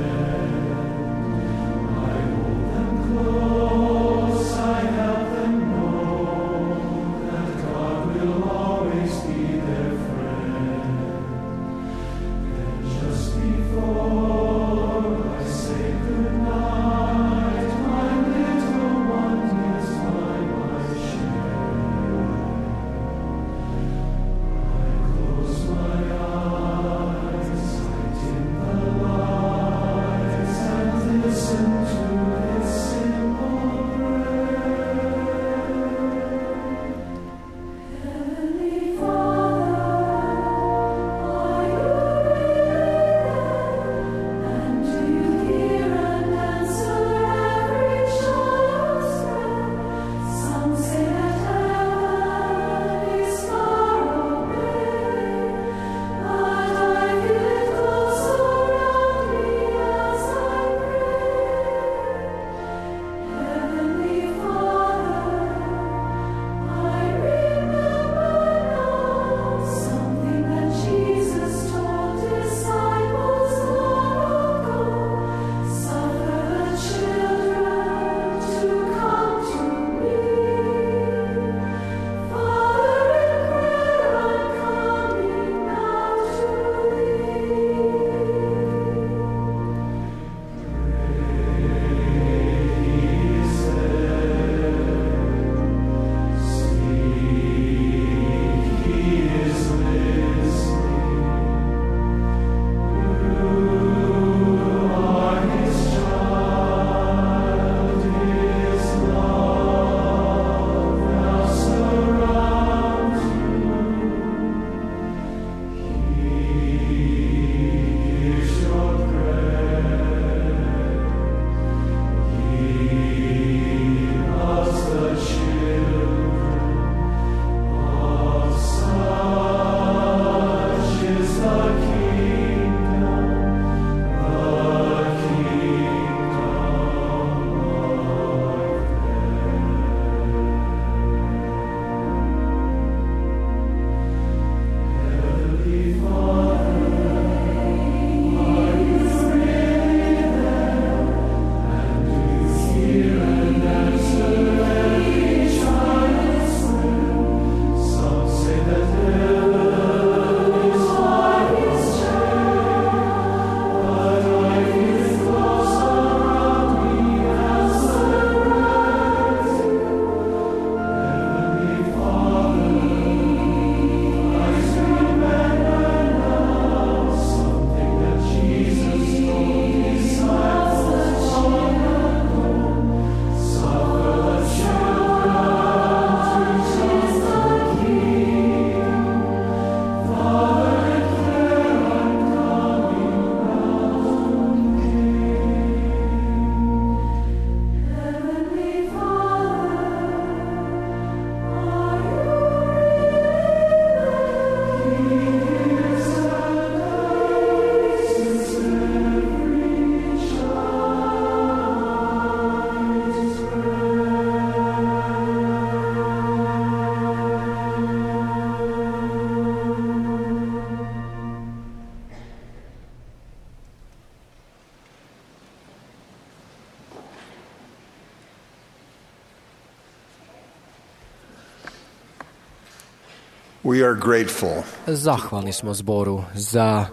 We are grateful Zahvalni smo zboru za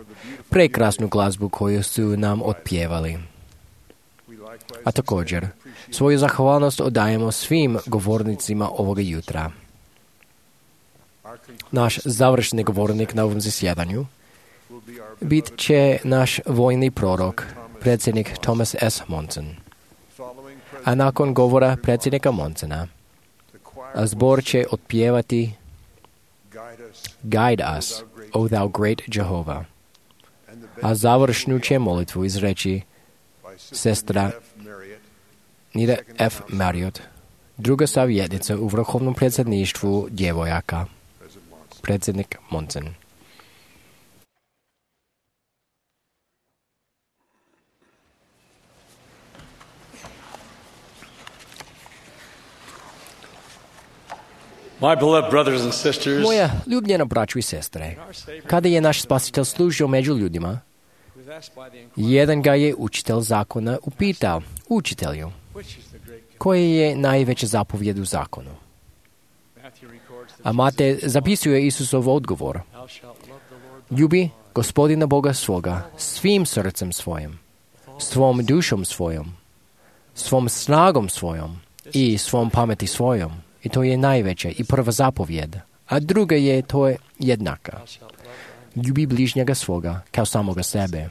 prekrasnu glazbu koju su nam otpjevali. A također, svoju zahvalnost odajemo svim govornicima ovoga jutra. Naš završni govornik na ovom zasjedanju bit će naš vojni prorok, predsjednik Thomas S. Monson. A nakon govora predsjednika Monsona, zbor će otpjevati Guide us, O thou great Jehovah. A završnu će molitvu izreći sestra Nida F. Marriott, druga savjetnica u vrhovnom predsjedništvu djevojaka, predsjednik Monson. My beloved brothers and sisters, Moja ljubljena braćo i sestre, kada je naš spasitelj služio među ljudima, jedan ga je učitelj zakona upitao, učitelju, koje je najveća zapovjed u zakonu? A Matej zapisuje Isusov odgovor. Ljubi Gospodina Boga svoga svim srcem svojim, svom dušom svojom, svom snagom svojom i svom pameti svojom. I to je najveća i prva zapovjed. A druga je to je jednaka. Ljubi bližnjega svoga kao samoga sebe.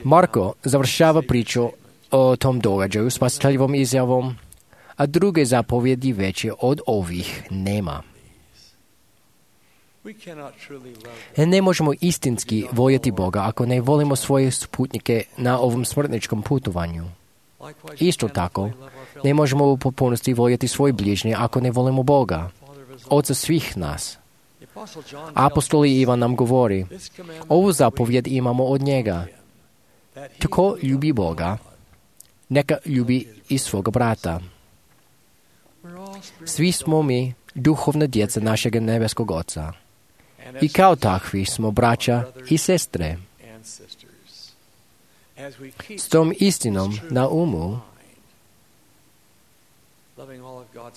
Marko završava priču o tom događaju spasiteljevom izjavom, a druge zapovjedi veće od ovih nema. Ne možemo istinski voljeti Boga ako ne volimo svoje sputnike na ovom smrtničkom putovanju. Isto tako, ne možemo u potpunosti voljeti svoje bližnje ako ne volimo Boga, Oca svih nas. Apostoli Ivan nam govori, ovu zapovjed imamo od njega. Tko ljubi Boga, neka ljubi i svoga brata. Svi smo mi duhovna djeca našeg nebeskog Oca. I kao takvi smo braća i sestre. S tom istinom na umu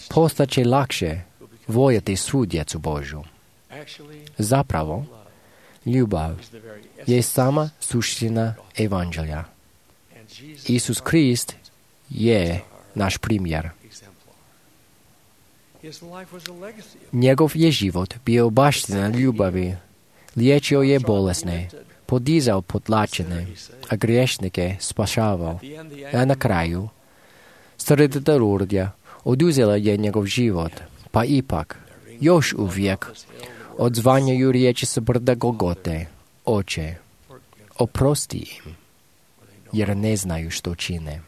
postaće lakše voljeti svu djecu Božju. Zapravo, ljubav je sama suština evanđelja. Isus Krist je naš primjer. Njegov je život bio baština ljubavi, liječio je bolesne, podizao potlačene, a griješnike spašavao. A na kraju, srdita Lurdja oduzela je njegov život, pa ipak, još uvijek, odzvanjaju riječi sa brda Golgote, Oče, oprosti im, jer ne znaju što čine.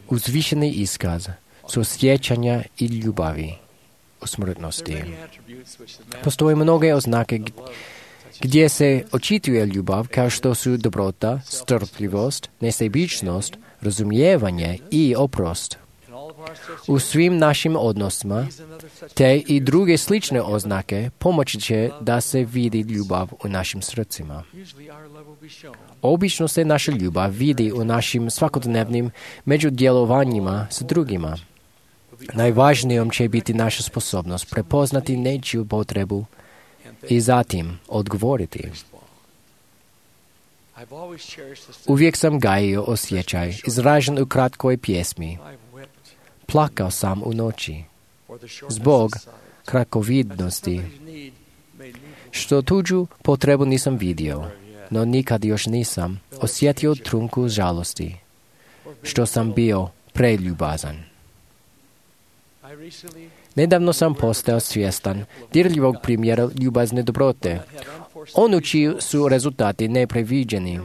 Uzvišeni iskaz su sjećanja i ljubavi u smrtnosti. Postoje mnoge oznake gdje se očituje ljubav kao što su dobrota, strpljivost, nesebičnost, razumijevanje i oprost. U svim našim odnosima te i druge slične oznake pomoći će da se vidi ljubav u našim srcima. Obično se naša ljubav vidi u našim svakodnevnim međudjelovanjima s drugima. Najvažnijom će biti naša sposobnost prepoznati nečiju potrebu i zatim odgovoriti. Uvijek sam gajio osjećaj, izražen u kratkoj pjesmi. Plakao sam u noći, zbog kratkovidnosti, što tuđu potrebu nisam vidio, no nikad još nisam osjetio trunku žalosti, što sam bio preljubazan. Nedavno sam postao svjestan dirljivog primjera ljubazne dobrote, onu čiji su rezultati nepreviđeni.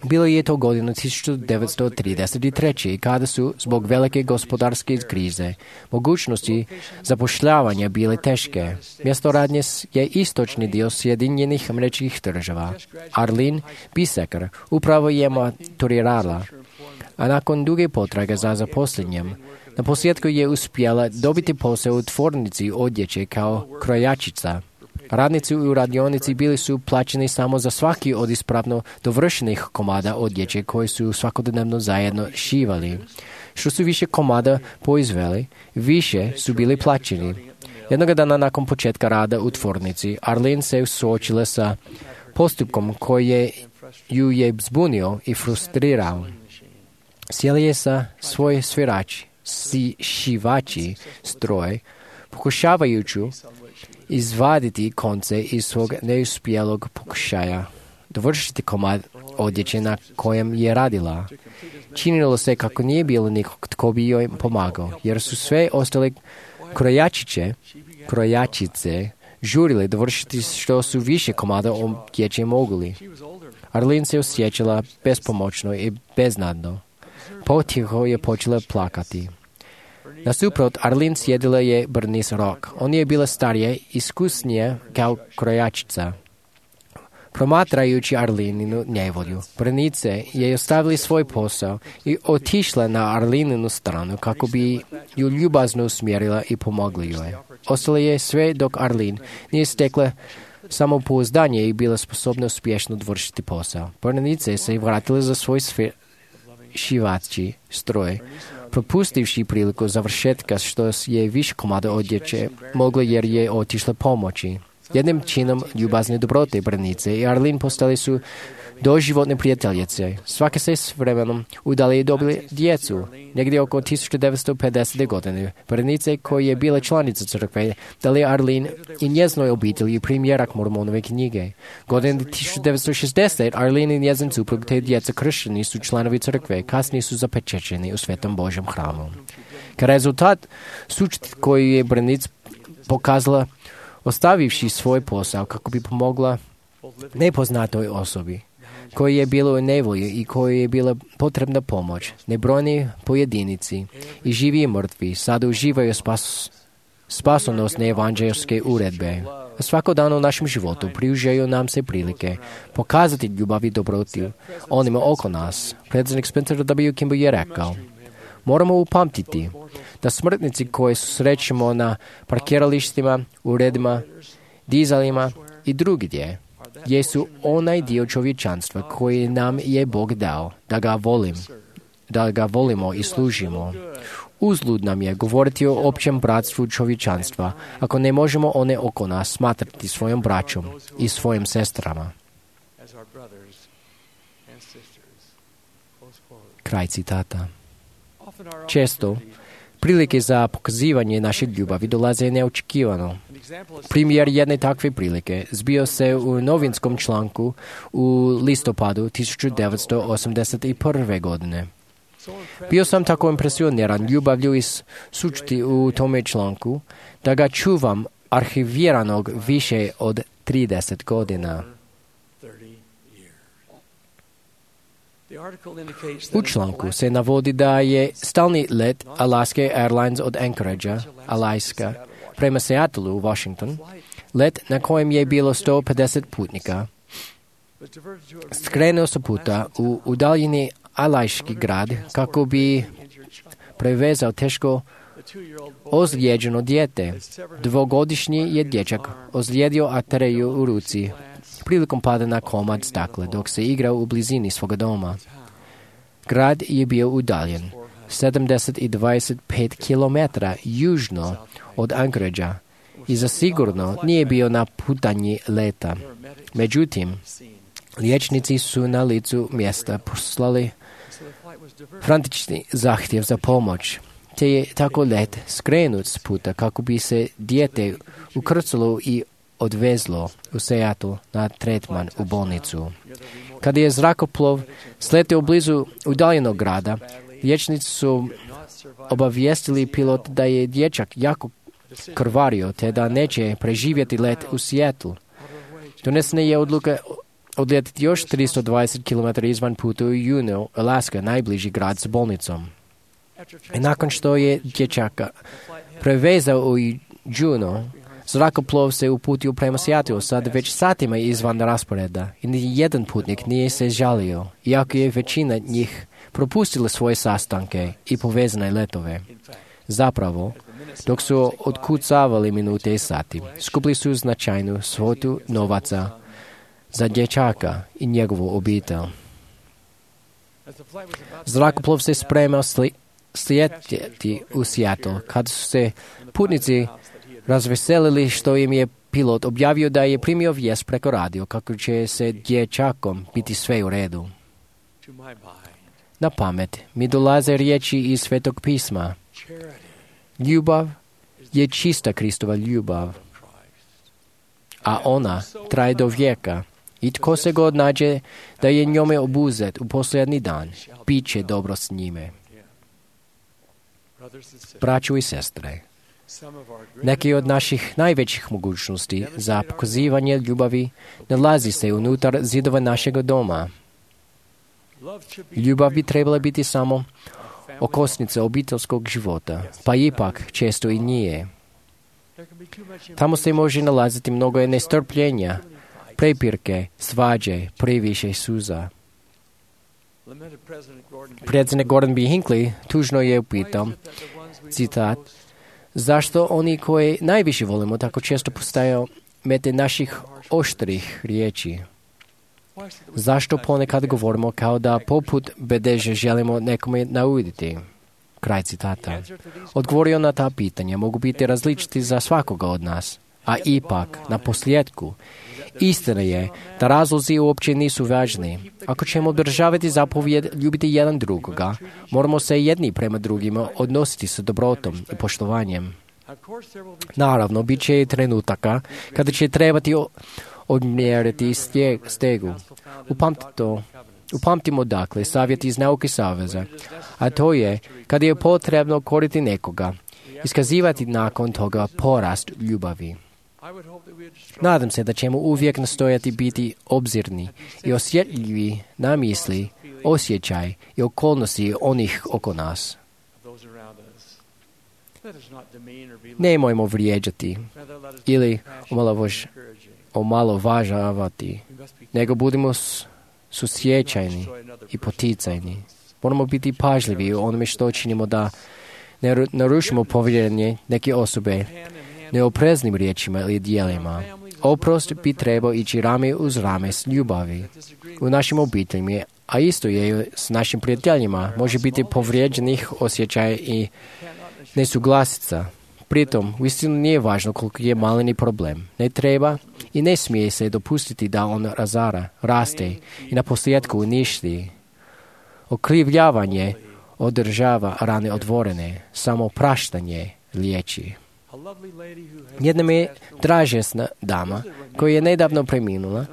Bilo je to godinu 1933. kada su, zbog velike gospodarske krize, mogućnosti zapošljavanja bile teške. Mjesto radnje je istočni dio Sjedinjenih Američkih Država. Arlene Biseker upravo je maturirala, a nakon duge potrage za zaposlenjem, na posljedku je uspjela dobiti posao u tvornici odjeće kao krojačica. Radnici u radionici bili su plaćeni samo za svaki od ispravno dovršenih komada odjeće koje su svakodnevno zajedno šivali. Što su više komada proizveli, više su bili plaćeni. Jednog dana nakon početka rada u tvornici, Arlene se suočila sa postupkom koji ju je zbunio i frustrirao. Sjela je sa svoj šivači stroj, pokušavajući izvaditi konce iz svog neuspjelog pokušaja dovršiti komad odjeće na kojem je radila. Činilo se kako nije bilo nikog tko bi joj pomagao, jer su sve ostale krojačice žurile dovršiti što su više komada odjeće mogli. Arlene se osjećala bespomoćno i beznadno. Potiho je počela plakati. Nasuprot, Arlene sjedila je Bernice Rock. On je bila starija, iskusnija kao krojačica. Promatrajući Arleninu nevolju, Bernice je ostavila svoj posao i otišla na Arleninu stranu kako bi ju ljubazno usmjerila i pomogla joj. Ostala je sve dok Arlene nije stekla samopouzdanje i bila sposobna uspješno dovršiti posao. Bernice se vratila za svoj šivaći stroj, propustivši priliku završetka što je više komada odjeće mogla jer je otišla pomoći. Jednim činom ljubazne dobrote Bernice i Arlene postali su doživotne prijateljice. Svake se s vremenom udali i dobili djecu. Negdje oko 1950. godine Bernice, koja je bila članica crkve, dali Arlene i njezinoj obitelji primjerak Mormonove knjige. Godine 1960. Arlene i njezin suprug te djeca kršćani su članovi crkve, kasnije su zapečećeni u Svetom Božjem hramu. Kao rezultat sučiti koji je Bernice pokazala ostavivši svoj posao kako bi pomogla nepoznatoj osobi koji je bilo u nevolji i koji je bila potrebna pomoć. Nebrojni pojedinici i živi i mrtvi sada uživaju spasonosne evanđelske uredbe. A svako dan u našem životu priužaju nam se prilike pokazati ljubav i dobrotu onima oko nas. Predsjednik Spencer W. Kimball je rekao: moramo upamtiti da smrtnici koje susrećemo na parkiralištima, uredima, dizalima i drugdje jesu onaj dio čovječanstva koji nam je Bog dao, da ga volimo i služimo. Uzlud nam je govoriti o općem bratstvu čovječanstva ako ne možemo one oko nas smatrati svojom braćom i svojim sestrama. Kraj citata. Često prilike za pokazivanje naše ljubavi dolaze neočekivano. Primjer jedne takve prilike zbio se u novinskom članku u listopadu 1981. godine. Bio sam tako impresioniran ljubavlju iz sučti u tome članku da ga čuvam arhiviranog više od 30 godina. U članku se navodi da je stalni let Alaska Airlines od Anchoragea, Alaska, prema Seattleu u Washington, let na kojem je bilo 150 putnika, skrenuo sa puta u udaljeni alajski grad kako bi prevezao teško ozlijeđeno dijete. Dvogodišnji je dječak ozlijedio arteriju u ruci prilikom pada na komad stakla dok se igrao u blizini svoga doma. Grad je bio udaljen 25 km južno od Anchoragea i zasigurno nije bio na putanji leta. Međutim, liječnici su na licu mjesta poslali frantični zahtjev za pomoć, te je tako let skrenut s puta kako bi se dijete ukrcalo i odvezlo u Seattle na tretman u bolnicu. Kada je zrakoplov sletio blizu udaljenog grada, liječnici su obavijestili pilot da je dječak jako krvario te da neće preživjeti let u Seattle. Donesena je odluka odletiti još 320 km izvan puta u Juneau, Alaska, najbliži grad s bolnicom. I nakon što je dječaka prevezao u Juneau, zrakoplov se uputio prema Seattleu, sad već satima izvan rasporeda i ni jedan putnik nije se žalio, iako je većina njih propustila svoje sastanke i povezane letove. Zapravo, dok su otkucavali minute i sati, skupili su značajnu svotu novaca za dječaka i njegovu obitelj. Zrakoplov se spremao slijetiti u Seattle, kad su se putnici razveselili što im je pilot objavio da je primio vijest preko radio kako će se dječakom biti sve u redu. Na pamet mi dolaze riječi iz Svetog pisma. Ljubav je čista Kristova ljubav, a ona traje do vijeka. I tko se god nađe da je njome obuzet u posljednji dan, bit će dobro s njime. Braćo i sestre, neki od naših najvećih mogućnosti za pokazivanje ljubavi nalazi se unutar zidova našeg doma. Ljubav bi trebala biti samo okosnica obiteljskog života, pa ipak često i nije. Tamo se može nalaziti mnogo nestrpljenja, prepirke, svađe, previše suza. Predsjednik Gordon B. Hinckley tužno je upitao, citat, zašto oni koje najviše volimo tako često postaju mete naših oštrih riječi? Zašto ponekad govorimo kao da poput bedeže želimo nekome nauditi? Kraj citata. Odgovorio na ta pitanja mogu biti različiti za svakoga od nas, a ipak, na posljedku, istina je da razlozi uopće nisu važni. Ako ćemo održavati zapovjed ljubiti jedan drugoga, moramo se jedni prema drugima odnositi sa dobrotom i poštovanjem. Naravno, bit će i trenutaka kada će trebati odmjeriti stegu. Upamtimo dakle savjet iz nauke saveza, a to je kada je potrebno koriti nekoga, iskazivati nakon toga porast ljubavi. Nadam se da ćemo uvijek nastojati biti obzirni i osjetljivi na misli, osjećaj i okolnosti onih oko nas. Nemojmo vrijeđati ili omalovažavati, nego budimo susjećajni i poticajni. Moramo biti pažljivi u onome što činimo da ne narušimo povjerenje neke osobe neopreznim riječima ili dijelima. Oprost bi trebao ići rame uz rame s ljubavi. U našim obiteljima, a isto je s našim prijateljima, može biti povrijeđenih osjećaja i nesuglasica. Pritom, uistinu nije važno koliko je maleni problem. Ne treba i ne smije se dopustiti da on razara, raste i na posljedku uništi. Okrivljavanje održava rane otvorene, samo praštanje liječi. Jedna mi je dražesna dama, koja je nedavno preminula,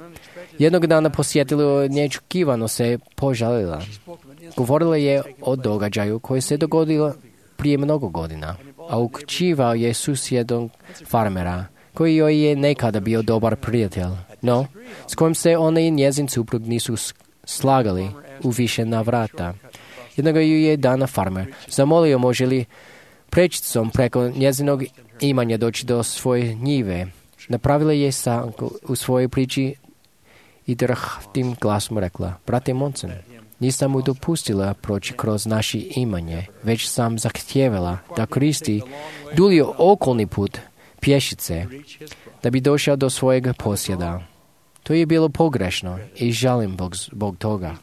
jednog dana posjetila neočekivano se požalila. Govorila je o događaju koji se dogodio prije mnogo godina, a uključivao je susjednog farmera, koji joj je nekada bio dobar prijatelj, no s kojim se ona i njezin suprug nisu slagali u više navrata. Jednog ju je dana farmer zamolio može li prečicom preko njezinog imanja doći do svoje njive. Napravila je sanku u svojoj priči i drhtim glasom rekla, brate Monson, nisam mu dopustila proći kroz naše imanje, već sam zahtjevala da koristi dulji okolni put pješice da bi došao do svojeg posjeda. To je bilo pogrešno i žalim zbog toga.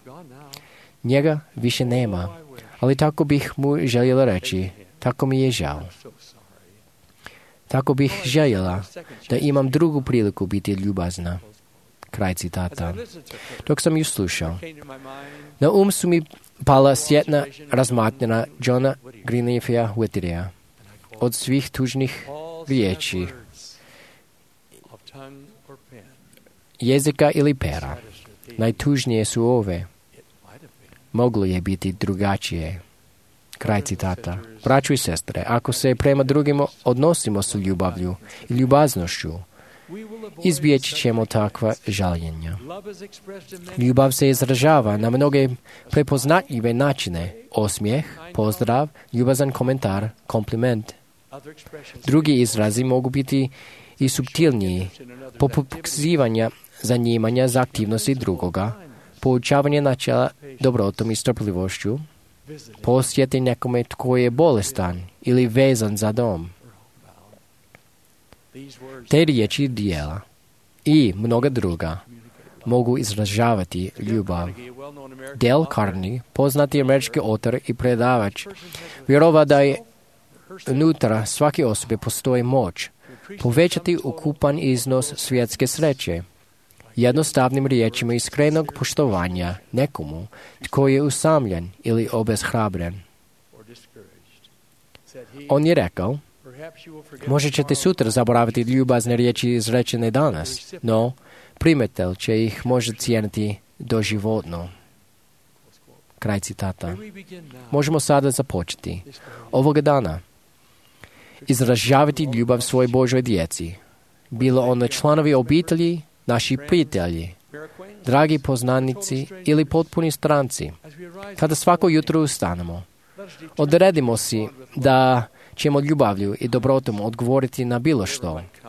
Njega više nema, ali tako bih mu željela reći, tako mi je žao. Tako bih željela da imam drugu priliku biti ljubazna. Kraj citata. Dok sam ju slušao, na su mi pala sjetna razmatnjena Johna Greenleafia Whittierea. Od svih tužnih riječi, jezika ili pera, najtužnije su ove. Moglo je biti drugačije. Kraj citata. Braćo i sestre, ako se prema drugima odnosimo s ljubavlju i ljubaznošću, izbjeći ćemo takva žaljenja. Ljubav se izražava na mnoge prepoznatljive načine. Osmijeh, pozdrav, ljubazan komentar, kompliment. Drugi izrazi mogu biti i suptilniji, poput pokazivanja zanimanja za aktivnosti drugoga, poučavanje načela dobrotom i strpljivošću, posjeti nekome tko je bolestan ili vezan za dom. Te riječi i dijela i mnoga druga mogu izražavati ljubav. Dale Carnegie, poznati američki autor i predavač, vjerova da je unutra svake osobe postoji moć povećati ukupan iznos svjetske sreće. Jednostavnim riječima iskrenog poštovanja nekomu tko je usamljen ili obeshrabren. On je rekao, možda ćete sutra zaboraviti ljubazne riječi izrečene danas, no primatelj će ih možda cijeniti doživotno. Kraj citata. Možemo sada započeti. Ovoga dana izražavati ljubav svoj Božoj djeci, bilo ono članovi obitelji, naši prijatelji, dragi poznanici ili potpuni stranci. Kada svako jutro ustanemo, odredimo si da ćemo ljubavlju i dobrotom odgovoriti na bilo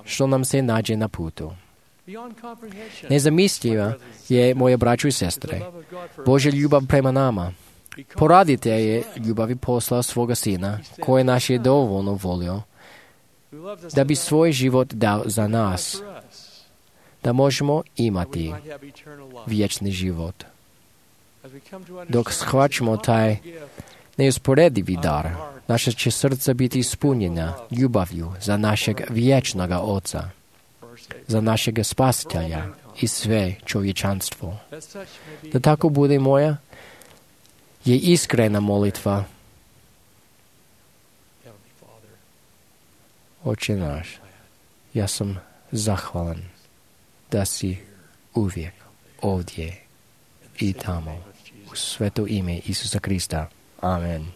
što nam se nađe na putu. Nezamisliva je, moje braćo i sestre, Božja ljubav prema nama. Poraditelj je ljubavi poslao svoga sina, koje nas je dovoljno volio, da bi svoj život dao za nas, da možemo imati vječni život. Dok shvaćamo taj neusporedivi dar, naša će srca biti ispunjena ljubavlju za našeg vječnog Oca, za našeg Spasitelja i sve čovječanstvo. Da tako bude moja je iskrena molitva. Oče naš, ja sam zahvalan da si uvijek ovdje i tamo. U sveto ime Isusa Krista. Amen.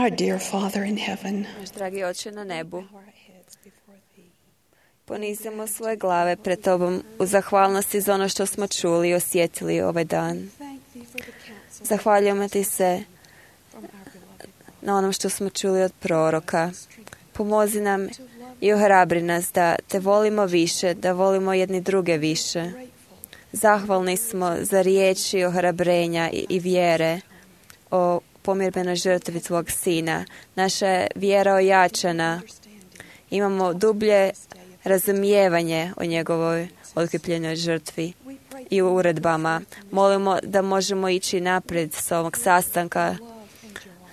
Our dear Father in heaven, Naš dragi Oče na nebu, ponizimo svoje glave pred Tobom u zahvalnosti za ono što smo čuli i osjetili ovaj dan. Zahvaljujemo Ti se na onom što smo čuli od proroka. Pomozi nam i ohrabri nas da Te volimo više, da volimo jedni druge više. Zahvalni smo za riječi ohrabrenja i vjere o pomirbenoj žrtvi Tvog Sina. Naša je vjera ojačana. Imamo dublje razumijevanje o njegovoj otkripljenoj žrtvi i u uredbama. Molimo da možemo ići naprijed s ovog sastanka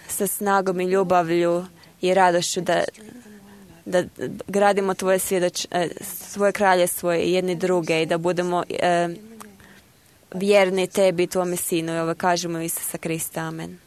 sa snagom i ljubavlju i radošću da gradimo svoje kraljevstvo i jedni druge i da budemo vjerni Tebi i Tvome Sinu. I ovo kažemo Isusa Krista. Amen.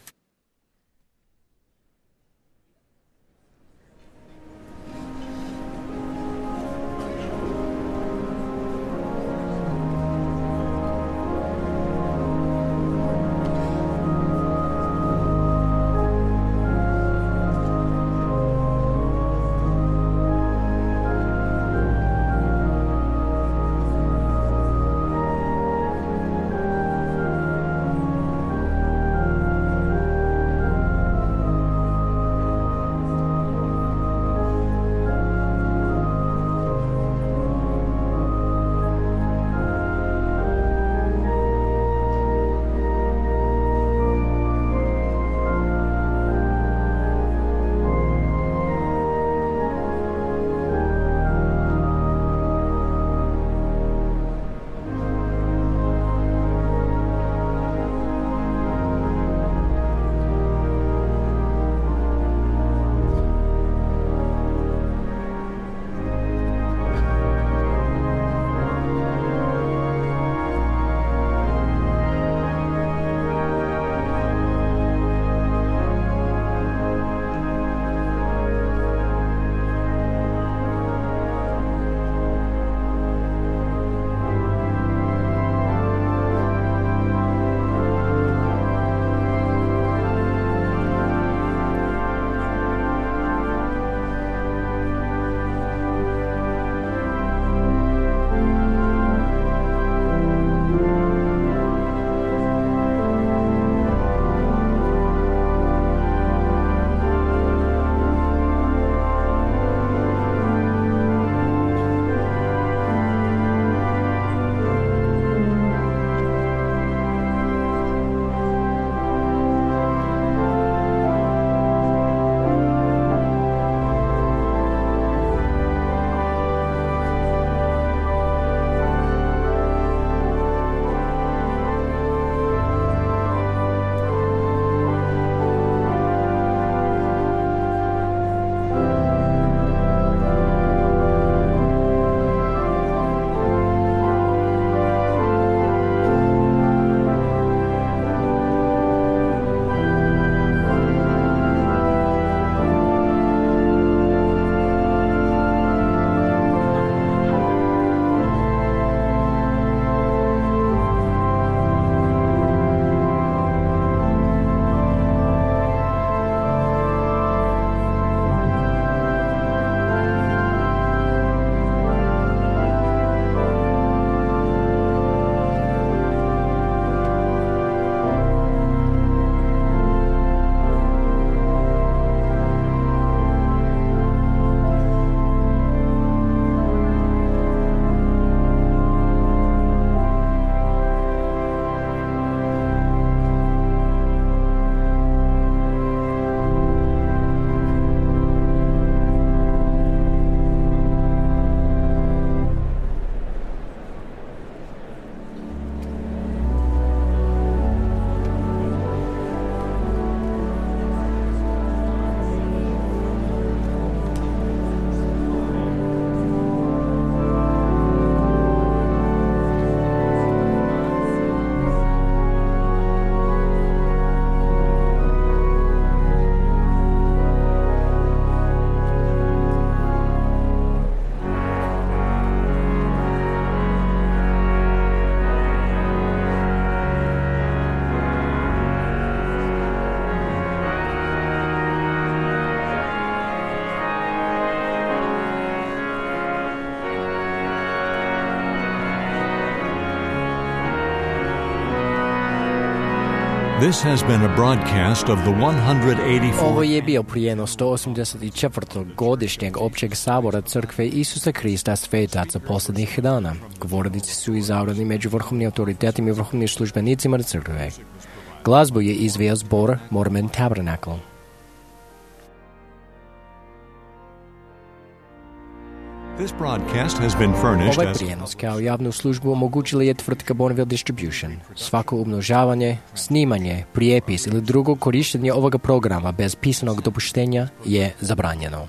This has been a broadcast of the 184th. Ovo je bio prijenos 184. godišnjeg općeg sabora Crkve Isusa Krista svetaca posljednjih dana. Govornici su izabrani među vrhovnim autoritetima i vrhovnim službenicima Crkve. Glazbu je izveo zbor Mormon Tabernacle. This broadcast has been furnished Ovaj as prijenos kao javnu službu omogućila je tvrtka Bonneville Distribution. Svako umnožavanje, snimanje, prijepis ili drugo korištenje ovoga programa bez pisanog dopuštenja je zabranjeno.